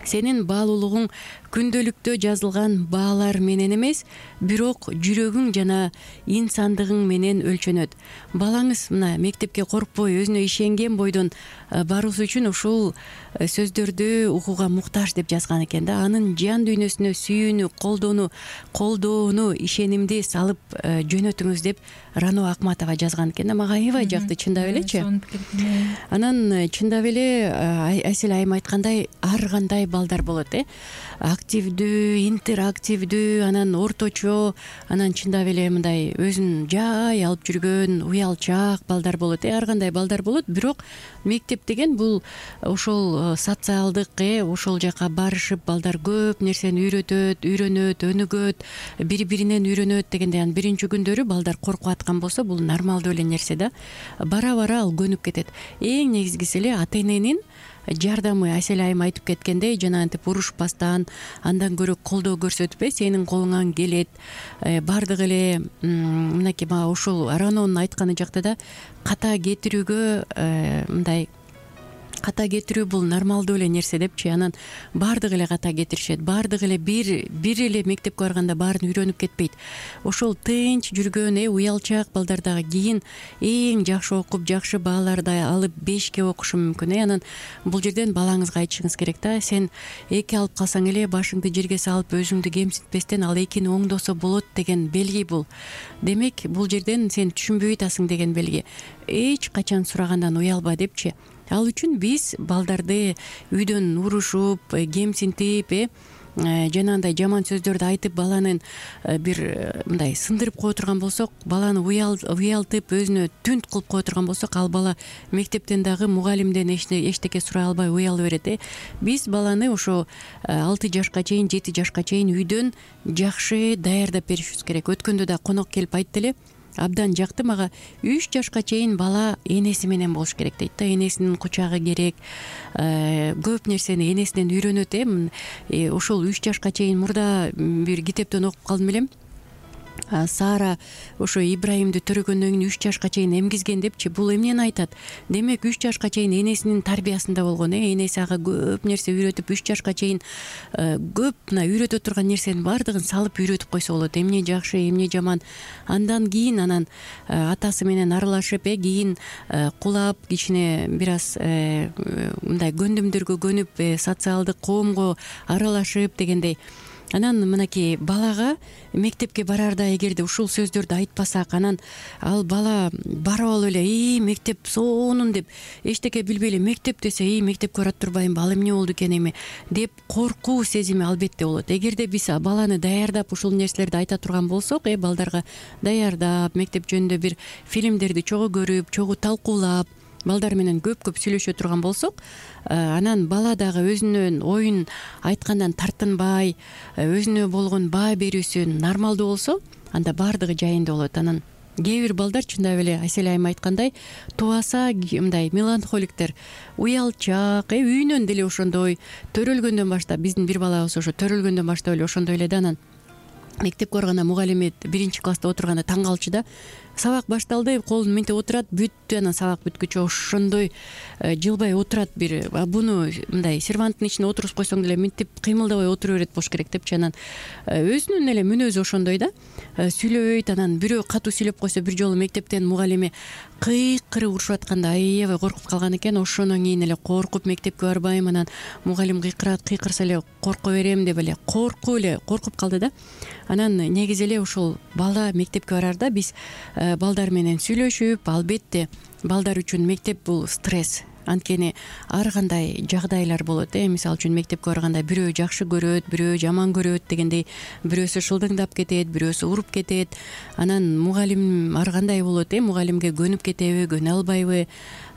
Сенин баалуулугуң күндөлүктө жазылган баалар менен эмес, бирок жүрөгүң жана инсандыгың менен өлчөнөт. Балаңыз мына мектепке коркпой, өзүнө ишенген бойдон баруусу үчүн ушул сөздөрдү угууга муктаж деп жазган экен да. Анын жан дүйнөсүнө сүйүүнү, колдоону, ишенимди салып жөнөтүңүз деп Рано Акматова жазган экен да. Мага аябай жакты, чындап элечи. Анан чындап эле Айсел айым айткандай, ар кандай балдар болот. активдүү, интерактивдүү, анан орточо, анан чындап эле мындай өзүн жай алып жүргөн уялчаак балдар болот. Ар кандай балдар болот, бирок мектеп деген бул ошол социалдык ошол жака барышып балдар көп нерсени үйрөнөт, өнүгөт, бири биринен үйрөнөт дегендей. Анан биринчи күндөрү балдар коркуп аткан болсо, бул нормалдуу эле нерсе да. Бара бара ал көнүп кетет. Эң негизгиси эле ата эненин жардамы. Асель айым айтып кеткендей, жанагынтип урушпастан, андан көрө колдоо көрсөтүп, сенин колуңан келет, баардык эле мынакей мага ушул Арононун айтканы жакта да ката кетирүүгө мындай ката кетирүү бул нормалдуу эле нерсе депчи. Анан баардык эле ката кетиришет, баардык эле бир эле мектепке барганда баарын үйрөнүп кетпейт. Ошол тынч жүргөн уялчаак балдар дагы кийин эң жакшы окуп, жакшы бааларды алып 5ке окушу мүмкүн. Анан бул жерден балаңызга айтышыңыз керек да, сен 2 алып калсаң эле башыңды жерге салып өзүңдү кемсинтпестен ал 2-ни оңдосо болот деген белги бул. Демек бул жерден сен түшүнбөй атасың деген белги. Эч качан сурагандан уялба депчи. Ал үчүн биз балдарды үйдөн урушуп, кемсинтип, жанагындай жаман сөздөрдү айтып баланын бир мындай сындырып кое турган болсок, баланы уялтып, өзүнө түнт кылып кое турган болсок, ал бала мектептен дагы мугалимден эчтеке сурай албай уялып берет. Биз баланы ошо 6 жашка чейин, 7 жашка чейин үйдөн жакшы даярдап беришибиз керек. Өткөндө да конок келип айтты эле, абдан жакты мага, 3 жашка чейин бала энеси менен болуш керек дейт да. Энесинин кучагы керек, көп нерсени энесинен үйрөнөт. Ошол 3 жашка чейин мурда бир китептен окуп калдым элем. Сара ошо Ибраимди төрөгөндөн кийин 3 жашка чейин эмгизген депчи. Бул эмнени айтат? Демек 3 жашка чейин энесинин тарбиясында болгон. Энеси ага көп нерсе үйрөтүп, 3 жашка чейин көп мына үйрөтө турган нерсенин баардыгын салып үйрөтүп койсо болот. Эмне жакшы, эмне жаман. Андан кийин анан атасы менен аралашып, кийин кулап, кичине бир аз мындай көндүмдөргө көнүп, социалдык коомго аралашып дегендей. Анан мынакей балага мектепке барарда эгерде ушул сөздөрдү айтпасак, анан ал бала барып алып эле мектеп сонун деп эчтеке билбей эле мектеп десе мектепке барат турбаймынбы, ал эмне болду экен эми деп коркуу сезими албетте болот. Эгерде биз баланы даярдап ушул нерселерди айта турган болсок, балдарга даярдап, мектеп жөнүндө бир фильмдерди чогуу көрүп, чогуу талкуулап, балдар менен көп сүйлөшө турган болсок, анан бала дагы өзүнүн оюн айткандан тартынбай, өзүнө болгон баа берүүсү нормалдуу болсо, анда баардыгы жайында болот. Анан кээ бир балдар чындап эле Асель айым айткандай тубаса мындай меланхоликтер, уялчаак, үйүнөн деле ошондой, төрөлгөндөн баштап, биздин бир балабыз ошо төрөлгөндөн баштап эле ошондой эле да. Анан мектепке барганда мугалими 1-класста отурганда таң калчу да. Сабак башталды, колун минтип отурат, бүттү, анан сабак бүткүчө ошондой жылбай отурат. Бир буну мындай серванттын ичине отургузуп койсоң деле минтип кыймылдабай отура берет болуш керек депчи. Анан өзүнүн эле мүнөзү ошондой да. Сүйлөбөйт. Анан бирөө катуу сүйлөп койсо, бир жолу мектептен мугалими кыйкырып урушуп атканда аябай коркуп калган экен. Ошондон кийин эле коркуп мектепке барбайм, анан мугалим кыйкырса эле корко берем деп эле коркуп калды да. Анан негизи эле ушул бала мектепке барарда биз балдар менен сүйлөшүп, албетте балдар үчүн мектеп бул стресс. Анткени ар кандай жагдайлар болот. Мисалы үчүн мектепке барганда бирөө жакшы көрөт, бирөө жаман көрөт дегендей, бирөөсү шылдыңдап кетет, бирөөсү уруп кетет. Анан мугалим ар кандай болот, мугалимге көнүп кетеби, көнө албайбы,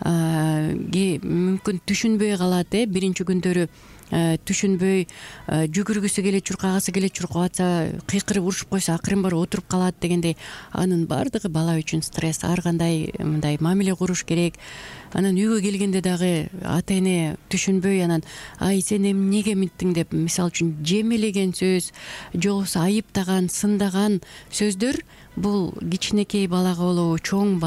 мүмкүн түшүнбөй калат. Биринчи күндөрү түшүнбөй, жүгүргүсү келет, чуркагысы келет, чуркап атса кыйкырып урушуп койсо акырын барып отуруп калат дегендей. Анын баардыгы бала үчүн стресс. Ар кандай мындай мамиле куруш керек. Анан үйгө келгенде дагы ата эне түшүнбөй, анан сен эмнеге минттиң деп, мисалы үчүн жемелеген сөз, же болбосо айыптаган, сындаган сөздөр бул кичинекей балага болобу, чоң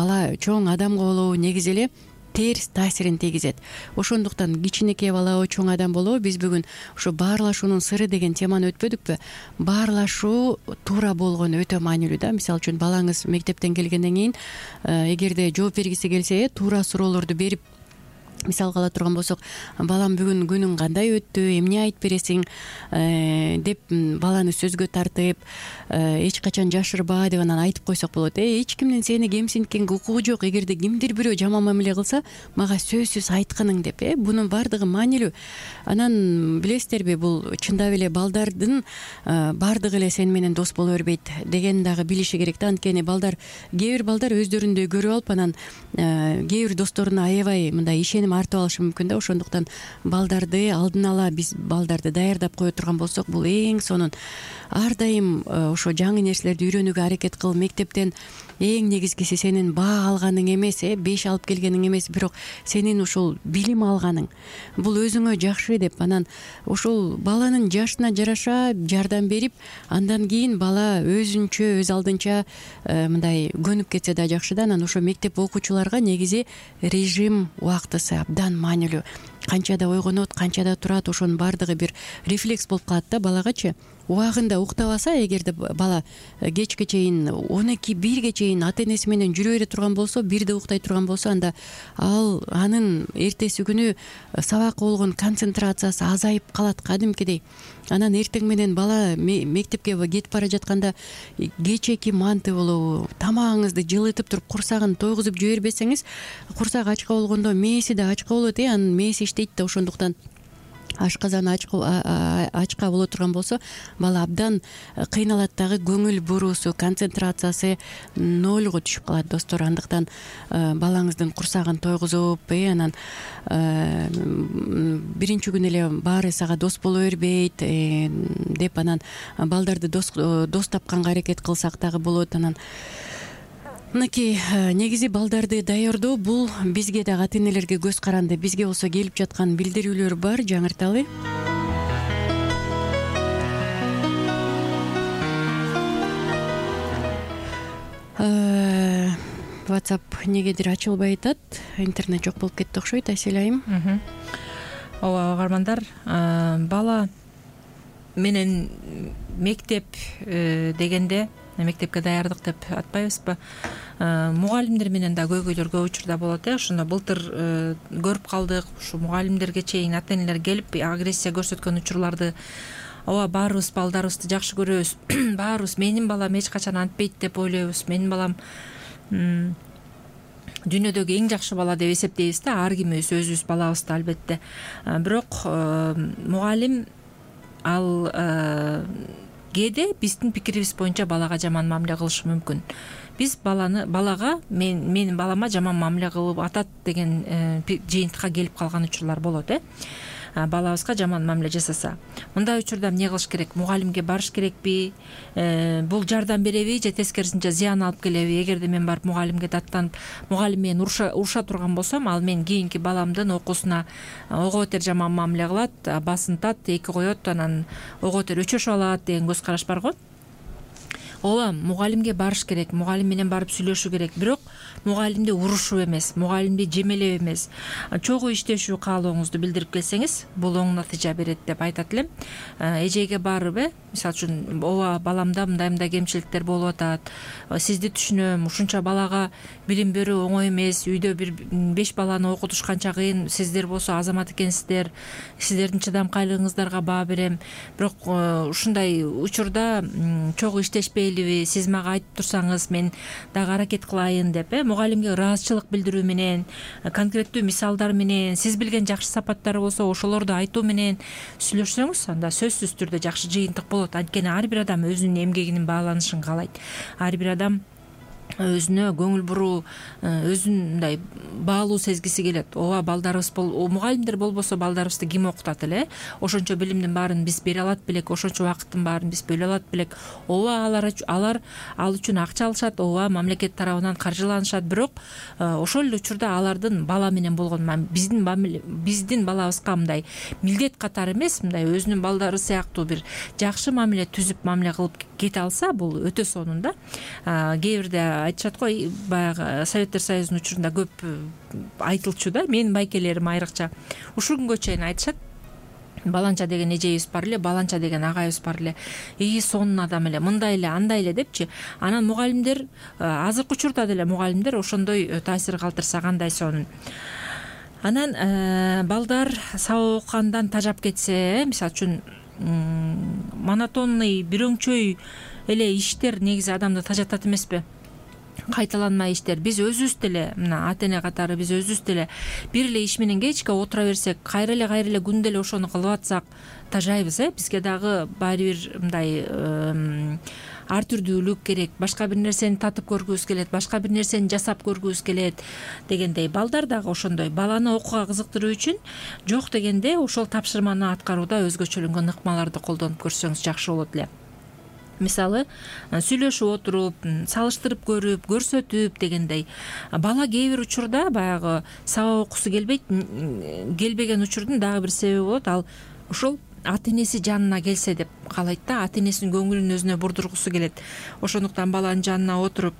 адамга болобу негизи эле терс таасирин тийгизет. Ошондуктан кичинекей балабы, чоң адам болобу, биз бүгүн ушу баарлашуунун сыры деген теманы өтпөдүкпү? Баарлашуу туура болгону өтө маанилүү да. Мисалы үчүн балаңыз мектептен келгенден кийин эгерде жооп бергиси келсе, туура суроолорду берип мисалга ала турган болсок, балам бүгүн күнүң кандай өттү, эмне айтып бересиң деп баланы сөзгө тартып, эч качан жашырба деп анан айтып койсок болот. Эч кимдин сени кемсинткенге укугу жок. Эгерде кимдир бирөө жаман мамиле кылса, мага сөзсүз айтканың деп. Бунун баардыгы маанилүү. Анан билесиздерби, бул чындап эле балдардын баардыгы эле сени менен дос боло бербейт деген дагы билиши керек да. Анткени кээ бир балдар өздөрүндөй көрүп алып, анан кээ бир досторуна аябай мындай ишеним артып алышы мүмкүн да. Ошондуктан балдарды алдын ала биз балдарды даярдап кое турган болсок, бул эң сонун. Ар дайым ошо жаңы нерселерди үйрөнүүгө аракет кыл. Мектептен эң негизгиси сенин баа алганың эмес, 5 алып келгениң эмес, бирок сенин ушул билим алганың. Бул өзүңө жакшы деп, анан ушул баланын жашына жараша жардам берип, андан кийин бала өзүнчө, өз алдынча мындай көнүп кетсе да жакшы да. Анан ошо мектеп окуучуларга негизи режим убактысы абдан маанилүү. Канчада ойгонот, канчада турат, ошонун баардыгы бир рефлекс болуп калат да балагачы. Убагында уктабаса, эгерде бала кечке чейин 12-1ге чейин ата энеси менен жүрө бере турган болсо, 1де уктай турган болсо, анда анын эртеси күнү сабакка болгон концентрациясы азайып калат кадимкидей. Анан эртең менен бала мектепке кетип бара жатканда кечеки манты болобу, тамагыңызды жылытып туруп курсагын тойгузуп жибербесеңиз, курсак ачка болгондо мээси да ачка болот. Анын мээси иштейт да. Ошондуктан ашказаны ачка боло турган болсо, бала абдан кыйналат дагы, көңүл буруусу, концентрациясы нольго түшүп калат достор. Андыктан балаңыздын курсагын тойгузуп, анан биринчи күнү эле баары сага дос боло бербейт деп, анан балдарды дос тапканга аракет кылсак дагы болот. Анан мынакей негизи балдарды даярдоо бул бизге дагы ата энелерге көз каранды. Бизге болсо келип жаткан билдирүүлөр бар, жаңырталы. WhatsApp негедир ачылбай атат, интернет жок болуп кетти окшойт. Асель айым. Ооба, угармандар, бала менен мектеп дегенде, мектепке даярдык деп атпайбызбы, мугалимдер менен да көйгөйлөр көп учурда болот. Ошондо былтыр көрүп калдык, ушу мугалимдерге чейин ата энелер келип агрессия көрсөткөн учурларды. Ооба, баарыбыз балдарыбызды жакшы көрөбүз, баарыбыз менин балам эч качан антпейт деп ойлойбуз, менин балам дүйнөдөгү эң жакшы бала деп эсептейбиз да, ар кимибиз өзүбүз балабызды албетте. Бирок мугалим ал кээде биздин пикирибиз боюнча балага жаман мамиле кылышы мүмкүн. Биз балага менин балама жаман мамиле кылып атат деген жыйынтыкка келип калган учурлар болот. Балабызга жаман мамиле жасаса, мындай учурда эмне кылыш керек? Мугалимге барыш керекпи? Бул жардам береби же тескерисинче зыян алып келеби? Эгерде мен барып мугалимге даттанып, мугалим мени уруша турган болсом, ал мен кийинки баламдын окуусуна ого бетер жаман мамиле кылат, басынтат, эки коет, анан ого бетер өчөшүп алат деген көз караш бар го. Ооба, мугалимге барыш керек, мугалим менен барып сүйлөшүү керек. Бирок мугалимди урушуп эмес, мугалимди жемелеп эмес, чогуу иштешүү каалооңузду билдирип келсеңиз, бул оң натыйжа берет деп айтат элем. Эжеге барып, мисалы үчүн, ооба, баламда мындай кемчиликтер болуп атат, сизди түшүнөм, ушунча балага билим берүү оңой эмес, үйдө бир 5 баланы окутуш канча кыйын, сиздер болсо азамат экенсиздер, сиздердин чыдамкайлыгыңыздарга баа берем. Бирок ушундай учурда чогуу иштешпей, сиз мага айтып турсаңыз, мен дагы аракет кылайын деп, мугалимге ыраазычылык билдирүү менен, конкреттүү мисалдар менен, сиз билген жакшы сапаттары болсо ошолорду айтуу менен сүйлөшсөңүз, анда сөзсүз түрдө жакшы жыйынтык болот. Анткени ар бир адам өзүнүн эмгегинин бааланышын каалайт. Ар бир адам өзүнө көңүл буруу, өзүн мындай баалуу сезгиси келет. Ооба, балдарыбыз мугалимдер болбосо балдарыбызды ким окутат эле? Ошончо билимдин баарын биз бере алат белек, ошончо убакыттын баарын биз бөлө алат белек. Ооба, алар ал үчүн акча алышат, ооба, мамлекет тарабынан каржыланышат. Бирок ошол эле учурда алардын бала менен болгон биздин балабызга мындай милдет катары эмес, мындай өзүнүн балдары сыяктуу бир жакшы мамиле түзүп мамиле кылып кете алса, бул өтө сонун да. Кээ бирде айтышат го, баягы Советтер Союзунун учурунда көп айтылчу да, менин байкелерим айрыкча ушул күнгө чейин айтышат. Баланча деген эжебиз бар эле, баланча деген агайыбыз бар эле, сонун адам эле, мындай эле, андай эле депчи. Анан мугалимдер, азыркы учурда деле мугалимдер ошондой таасир калтырса кандай сонун. Анан балдар сабак окугандан тажап кетсе, мисалы үчүн монотонный бирөңчөй эле иштер негизи адамды тажатат эмеспи? Кайталанмай иштер. Биз өзүбүз деле, мына ата эне катары биз өзүбүз деле бир эле иш менен кечке отура берсек, кайра эле күндө эле ошону кылып атсак тажайбыз. Бизге дагы баары бир мындай ар түрдүүлүк керек, башка бир нерсени татып көргүбүз келет, башка бир нерсени жасап көргүбүз келет дегендей. Балдар дагы ошондой. Баланы окууга кызыктыруу үчүн жок дегенде ошол тапшырманы аткарууда өзгөчөлөнгөн ыкмаларды колдонуп көрсөңүз жакшы болот эле. Мисалы, сүйлөшүп отуруп, салыштырып көрүп, көрсөтүп дегендей. Бала кээ бир учурда баягы сабак окуусу келбеген учурдун дагы бир себеби болот. Ал ошол ата энеси жанына келсе деп каалайт да, ата энесинин көңүлүн өзүнө бурдургусу келет. Ошондуктан баланын жанына отуруп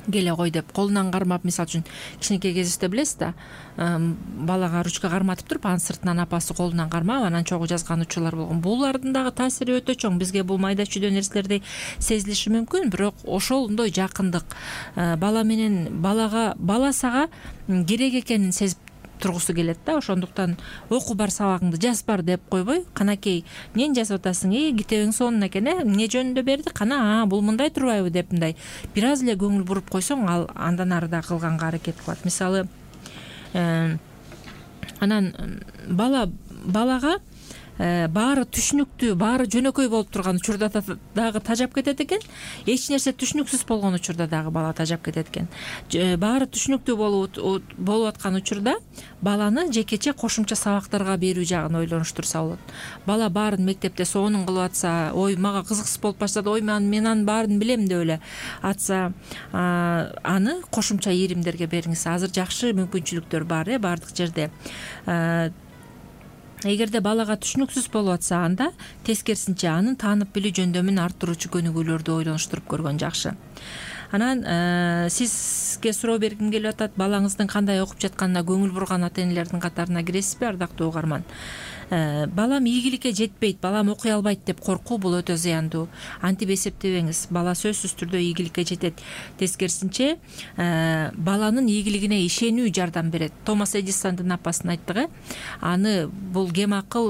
келе кой деп колунан кармап, мисалы үчүн кичинекей кезибизде билесиз да, балага ручка карматып туруп, анын сыртынан апасы колунан кармап, анан чогуу жазган учурлар болгон. Булардын дагы таасири өтө чоң. Бизге бул майда чүйдө нерселердей сезилиши мүмкүн, бирок ошондой жакындык бала менен бала сага керек экенин сезип тургусу келет да. Ошондуктан оку бар, сабагыңды жаз бар деп койбой, канакей эмнени жазып атасың, китебиң сонун экен, эмне жөнүндө берди, кана бул мындай турбайбы деп мындай бир аз эле көңүл буруп койсоң, ал андан ары да кылганга аракет кылат. Мисалы, анан балага баары түшүнүктүү, баары жөнөкөй болуп турган учурда дагы тажап кетет экен. Эч нерсе түшүнүксүз болгон учурда дагы бала тажап кетет экен. Баары түшүнүктүү болуп аткан учурда баланы жекече кошумча сабактарга берүү жагын ойлонуштурса болот. Бала баарын мектепте сонун кылып атса, ой мага кызыксыз болуп баштады, ой мен анын баарын билем деп эле атса, аны кошумча ийримдерге бериңиз. Азыр жакшы мүмкүнчүлүктөр бар, баардык жерде. Эгерде балага түшүнүксүз болуп атса, анда тескерисинче анын таанып билүү жөндөмүн арттыруучу көнүгүүлөрдү ойлонуштуруп көргөн жакшы. Анан сизге суроо бергим келип атат, балаңыздын кандай окуп жатканына көңүл бурган ата энелердин катарына киресизби, ардактуу угарман? Балам ийгиликке жетпейт, балам окуй албайт деп коркуу бул өтө зыяндуу. Антип эсептебеңиз, бала сөзсүз түрдө ийгиликке жетет. Тескерисинче баланын ийгилигине ишенүү жардам берет. Томас Эдисондун апасын айттык, аны бул кем акыл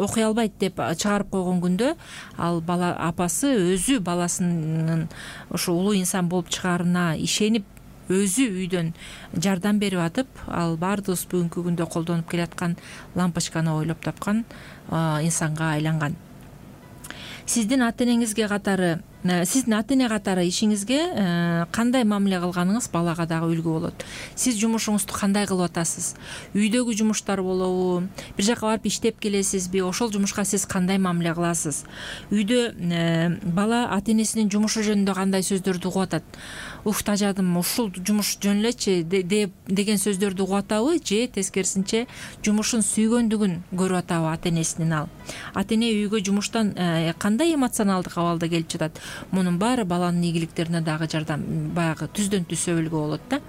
окуй албайт деп чыгарып койгон күндө, ал бала апасы өзү баласынын ошо улуу инсан болуп чыгаарына ишенип, өзү үйдөн жардам берип атып, ал баардыгыбыз бүгүнкү күндө колдонуп келаткан лампочканы ойлоп тапкан инсанга айланган. Сиздин ата энеңизге катары, сиздин ата эне катары ишиңизге кандай мамиле кылганыңыз балага дагы үлгү болот. Сиз жумушуңузду кандай кылып атасыз? Үйдөгү жумуштар болобу? Бир жака барып иштеп келесизби? Ошол жумушка сиз кандай мамиле кыласыз? Үйдө бала ата энесинин жумушу жөнүндө кандай сөздөрдү угуп атат? Уф, тажадым, ушул жумуш жөн элечи деген сөздөрдү угуп атабы, же тескерисинче жумушун сүйгөндүгүн көрүп атабы ата энесинин ал? Ата эне үйгө жумуштан кандай эмоционалдык абалда келип жатат? Мунун баары баланын ийгиликтерине дагы жардам, баягы түздөн түз өбүлгө болот да.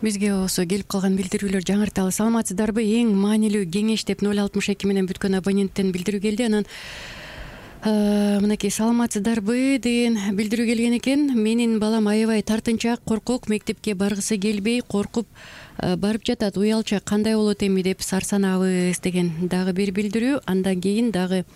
Бизге болсо келип калган билдирүүлөр жаңырталы. Саламатсыздарбы? Эң маанилүү кеңеш деп 062 менен бүткөн абоненттен билдирүү келди. Анан мынакей саламатсыздарбы деген билдирүү келген экен. Менин балам аябай тартынчаак, коркок, мектепке баргысы келбей, коркуп барып жатат. Уялчак кандай болот эми деп сарсанабыз деген дагы бир билдирүү. Андан кийин дагы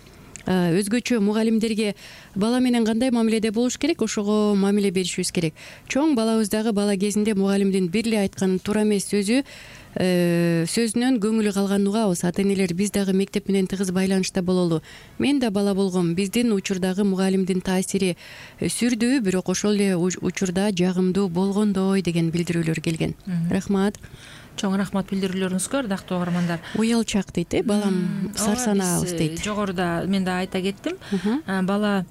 өзгөчө мугалимдерге бала менен кандай мамиледе болуш керек, ошого мамиле беришибиз керек. Чоң балабыз дагы бала кезинде мугалимдин бир эле айткан туура эмес сөзүнөн көңүлү калганын угабыз. Ата энелер биз дагы мектеп менен тыгыз байланышта бололу. Мен да бала болгом. Биздин учурдагы мугалимдин таасири сүрдүү, бирок ошол эле учурда жагымдуу болгондой деген билдирүүлөр келген. Рахмат. Чоң рахмат билдирүүлөрүңүзгө, ардактуу угармандар. Уялчак дейт, балам сарсанабыз дейт. Жогоруда мен да айта кеттим. Бала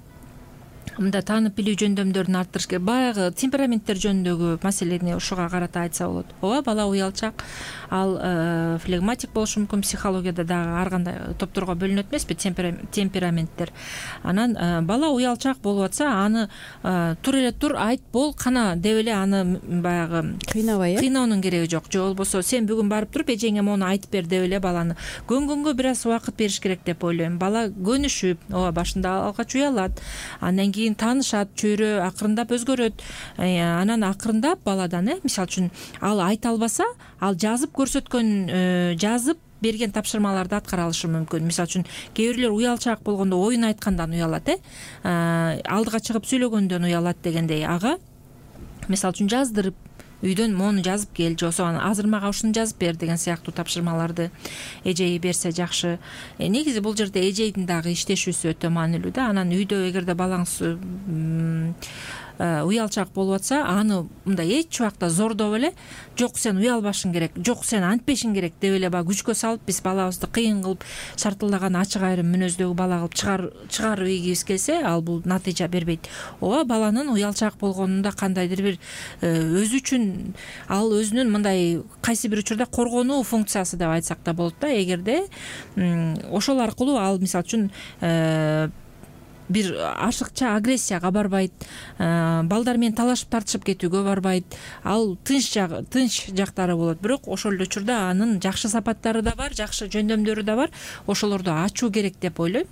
мында таанып билүү жөндөмдөрүн арттырыш керек. Баягы темпераменттер жөнүндөгү маселени ушуга карата айтса болот. Ооба, бала уялчак, ал флегматик болушу мүмкүн. Психологияда дагы ар кандай топторго бөлүнөт эмеспи темпераменттер. Анан бала уялчак болуп атса, аны тур эле тур, айт бол, кана деп эле аны баягы кыйноонун кереги жок. Же болбосо сен бүгүн барып туруп эжеңе мону айтып бер деп эле баланы көнгөнгө бир аз убакыт бериш керек деп ойлойм. Бала көнүшүп, ооба, башында алгач уялат, андан кийин таанышат, чөйрө акырындап өзгөрөт. Анан акырындап баладан мисалы үчүн ал айта албаса, ал жазып көрсөткөн, жазып берген тапшырмаларды аткара алышы мүмкүн. Мисалы үчүн кээ бирлер уялчаак болгондо оюн айткандан уялат, алдыга чыгып сүйлөгөндөн уялат дегендей. Ага мисалы үчүн жаздырып үйдөн мону жазып кел, же болбосо азыр мага ушуну жазып бер деген сыяктуу тапшырмаларды эжеи берсе жакшы. Негизи бул жерде эжейдин дагы иштешүүсү өтө маанилүү да. Анан үйдө эгерде балаңыз уялчаак болуп атса, аны мындай эч убакта зордоп эле жок сен уялбашың керек, жок сен антпешиң керек деп эле баягы күчкө салып биз балабызды кыйын кылып шартылдаган ачык айрым мүнөздөгү бала кылып чыгарып ийгибиз келсе, ал бул натыйжа бербейт. Ооба, баланын уялчаак болгонунда кандайдыр бир өзү үчүн ал өзүнүн мындай кайсы бир учурда коргонуу функциясы деп айтсак да болот да. Эгерде ошол аркылуу ал мисалы үчүн бир ашыкча агрессияга барбайт, балдар менен талашып тартышып кетүүгө барбайт, ал тынч жактары болот. Бирок ошол эле учурда анын жакшы сапаттары да бар, жакшы жөндөмдөрү да бар. Ошолорду ачуу керек деп ойлойм.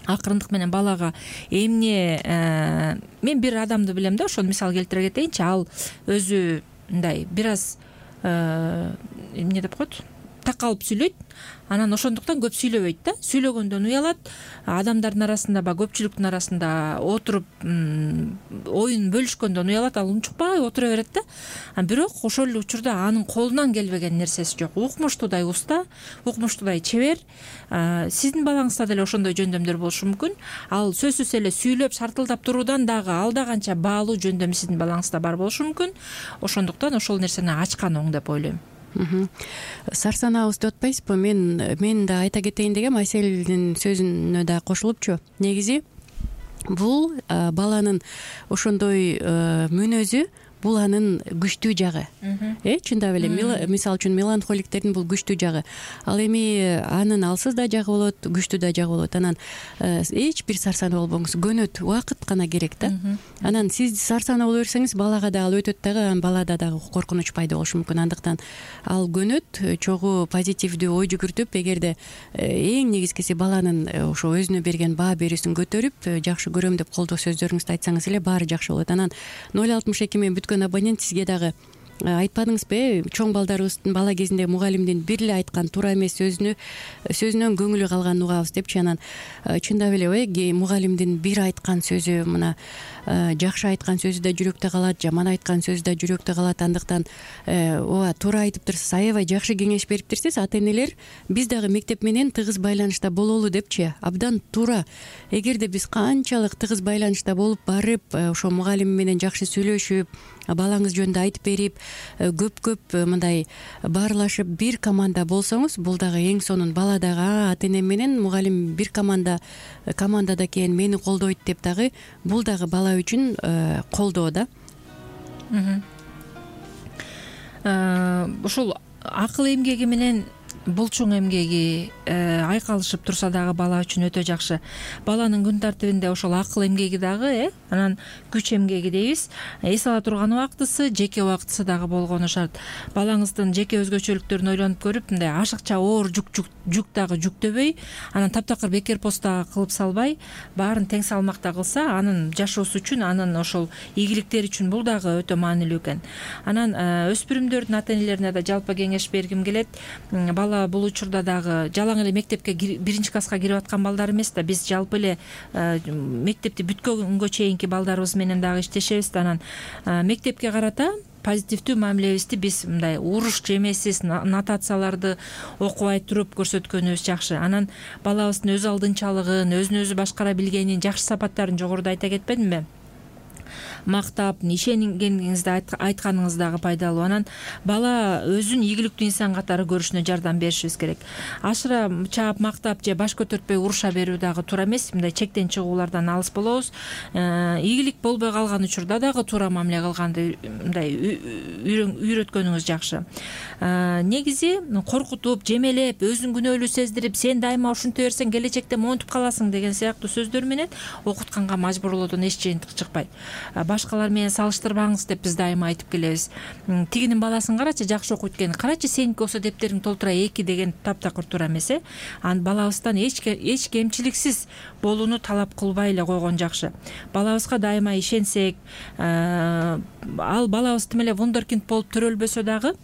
Акырындык менен балага эмне мен бир адамды билем да, ошону мисал келтире кетейинчи. Ал өзү мындай бир аз эмне деп коет, такалып сүйлөйт. Анан ошондуктан көп сүйлөбөйт да. Сүйлөгөндөн уялат. Адамдардын арасында, көпчүлүктүн арасында отуруп оюн бөлүшкөндөн уялат. Ал унчукпай отура берет да. Бирок ошол эле учурда анын колунан келбеген нерсеси жок. Укмуштуудай уста, укмуштуудай чебер. Сиздин балаңызда деле ошондой жөндөмдөр болушу мүмкүн. Ал сөзсүз эле сүйлөп шартылдап туруудан дагы алда канча баалуу жөндөм сиздин балаңызда бар болушу мүмкүн. Ошондуктан ошол нерсени ачкан оң деп ойлойм. Сарсанабызды өтпөйсүзбү? Мен да айта кетейин дегем, Айселдин сөзүнө да кошулупчу. Негизи бул баланын ошондой мүнөзү, бул анын күчтүү жагы. Чындап эле мисалы үчүн меланхоликтердин бул күчтүү жагы. Ал эми анын алсыз да жагы болот, күчтүү да жагы болот. Анан эч бир сарсанаа болбоңуз, көнөт, убакыт гана керек да. Анан сиз сарсанаа боло берсеңиз, балага да ал өтөт дагы, анан балада дагы коркунуч пайда болушу мүмкүн. Андыктан ал көнөт, чогуу позитивдүү ой жүгүртүп, эгерде эң негизгиси баланын ошо өзүнө берген баа берүүсүн көтөрүп, жакшы көрөм деп колдоо сөздөрүңүздү айтсаңыз эле баары жакшы болот. Анан 062 мен абонент сизге дагы айтпадыңызбы? Чоң балдарыбыздын бала кезинде мугалимдин бир эле айткан туура эмес сөзүнөн көңүлү калганын угабыз депчи. Анан чындап эле мугалимдин бир айткан сөзү, мына жакшы айткан сөзү да жүрөктө калат, жаман айткан сөзү да жүрөктө калат. Андыктан ооба, туура айтыптырсыз, аябай жакшы кеңеш бериптирсиз. Ата энелер биз дагы мектеп менен тыгыз байланышта бололу депчи. Абдан туура. Эгерде биз канчалык тыгыз байланышта болуп барып, ошо мугалим менен жакшы сүйлөшүп, балаңыз жөнүндө айтып берип, көп мындай баарлашып бир команда болсоңуз, бул дагы эң сонун. Бала дагы ата эне менен мугалим бир командада экен, мени колдойт деп дагы, бул дагы бала үчүн колдоо да. Ушул акыл эмгеги менен булчуң эмгеги айкалышып турса дагы бала үчүн өтө жакшы. Баланын күн тартибинде ошол акыл эмгеги дагы, анан күч эмгеги дейбиз. Эс ала турган убактысы, жеке убактысы дагы болгону шарт. Балаңыздын жеке өзгөчөлүктөрүн ойлонуп көрүп, мындай ашыкча оор жүк дагы жүктөбөй, анан таптакыр бекер пост дагы кылып салбай, баарын тең салмакта кылса, анын жашоосу үчүн, анын ошол ийгиликтери үчүн бул дагы өтө маанилүү экен. Анан өспүрүмдөрдүн ата энелерине да жалпы кеңеш бергим келет. Бала бул учурда дагы жалаң эле мектепке биринчи класска кирип аткан балдар эмес да, биз жалпы эле мектепти бүткөнгө чейинки балдарыбыз менен дагы иштешебиз. Анан мектепке карата позитивдүү мамилебизди биз мындай уруш жемесиз нотацияларды окубай туруп көрсөткөнүбүз жакшы. Анан балабыздын өз алдынчалыгын, өзүн өзү башкара билгенин, жакшы сапаттарын жогоруда айта кетпедимби? Мактап, ишенгениңизди айтканыңыз дагы пайдалуу. Анан бала өзүн ийгиликтүү инсан катары көрүшүнө жардам беришибиз керек. Ашыра чаап мактап же баш көтөртпөй уруша берүү дагы туура эмес. Мындай чектен чыгуулардан алыс болобуз. Ийгилик болбой калган учурда дагы туура мамиле кылганды мындай үйрөткөнүңүз жакшы. Негизи коркутуп, жемелеп, өзүн күнөөлүү сездирип, сен дайыма ушинте берсең келечекте монтуп каласың деген сыяктуу сөздөр менен окутканга мажбурлоодон эч жыйынтык чыкпайт. башкалар менен салыштырбаңыз деп биз дайыма айтып келебиз. Тигинин баласын карачы, жакшы окуйт экен, карачы сеники болсо дептериң толтура 2 деген таптакыр туура эмес. Анан балабыздан эч кемчиликсиз болууну талап кылбай эле койгон жакшы. Балабызга дайыма ишенсек, ал балабыз тим эле вундеркинд болуп төрөлбөсө дагы,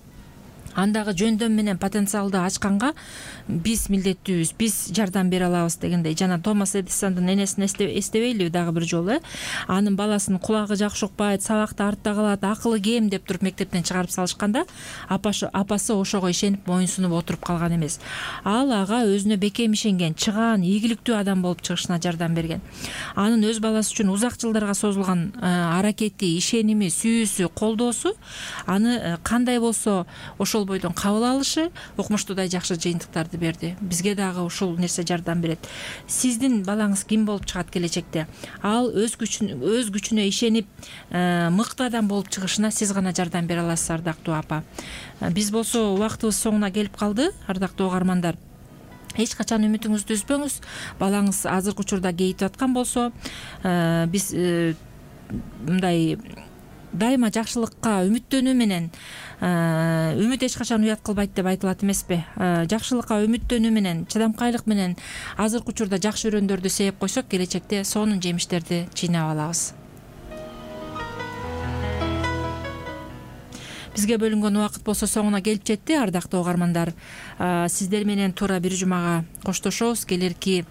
андагы жөндөм менен потенциалды ачканга биз милдеттүүбүз, биз жардам бере алабыз дегендей. Жана Томас Эдисондун энесин эстебейлиби дагы бир жолу? Анын баласынын кулагы жакшы укпайт, сабакта артта калат, акылы кем деп туруп мектептен чыгарып салышканда, апасы ошого ишенип моюнсунуп отуруп калган эмес. Ал ага өзүнө бекем ишенген, чыгаан, ийгиликтүү адам болуп чыгышына жардам берген. Анын өз баласы үчүн узак жылдарга созулган аракети, ишеними, сүйүүсү, колдоосу аны кандай болсо ошол бойдон кабыл алышы укмуштуудай жакшы жыйынтыктарды берди. Бизге дагы ушул нерсе жардам берет. Сиздин балаңыз ким болуп чыгат келечекте? Ал өз күчүнө ишенип, мыкты адам болуп чыгышына сиз гана жардам бере аласыз, ардактуу апа. Биз болсо убактыбыз соңуна келип калды, ардактуу угармандар. Эч качан үмүтүңүздү үзбөңүз. Балаңыз азыркы учурда кейитип аткан болсо, биз мындай дайыма жакшылыкка үмүттөнүү менен, үмүт эч качан уят кылбайт деп айтылат эмеспи? Жакшылыкка үмүттөнүү менен, чыдамкайлык менен азыркы учурда жакшы өрөөндөрдү сээп койсок, келечекте сонун жемиштерди жыйнап алабыз. Бизге бөлүнгөн убакыт болсо соңуна келип жетти, ардактуу угармандар. Сиздер менен туура бир жумага коштошобуз. Келерки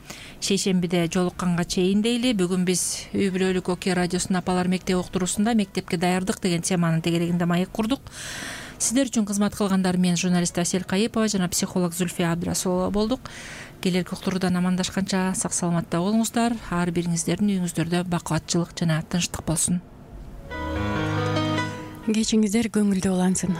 шейшембиде жолукканга чейин дейли. Бүгүн биз үй бүлөлүк Окей радиосунун апалар мектеп уктуруусунда мектепке даярдык деген теманын тегерегинде маек курдук. Сиздер үчүн кызмат кылгандар мен журналист Асель Кайыпова жана психолог Зульфия Абдрасулова болдук. Келерки уктуруудан амандашканча сак саламатта болуңуздар. Ар бириңиздердин үйүңүздөрдө бакубатчылык жана тынчтык болсун. Кечиңиздер көңүлдүү улансын.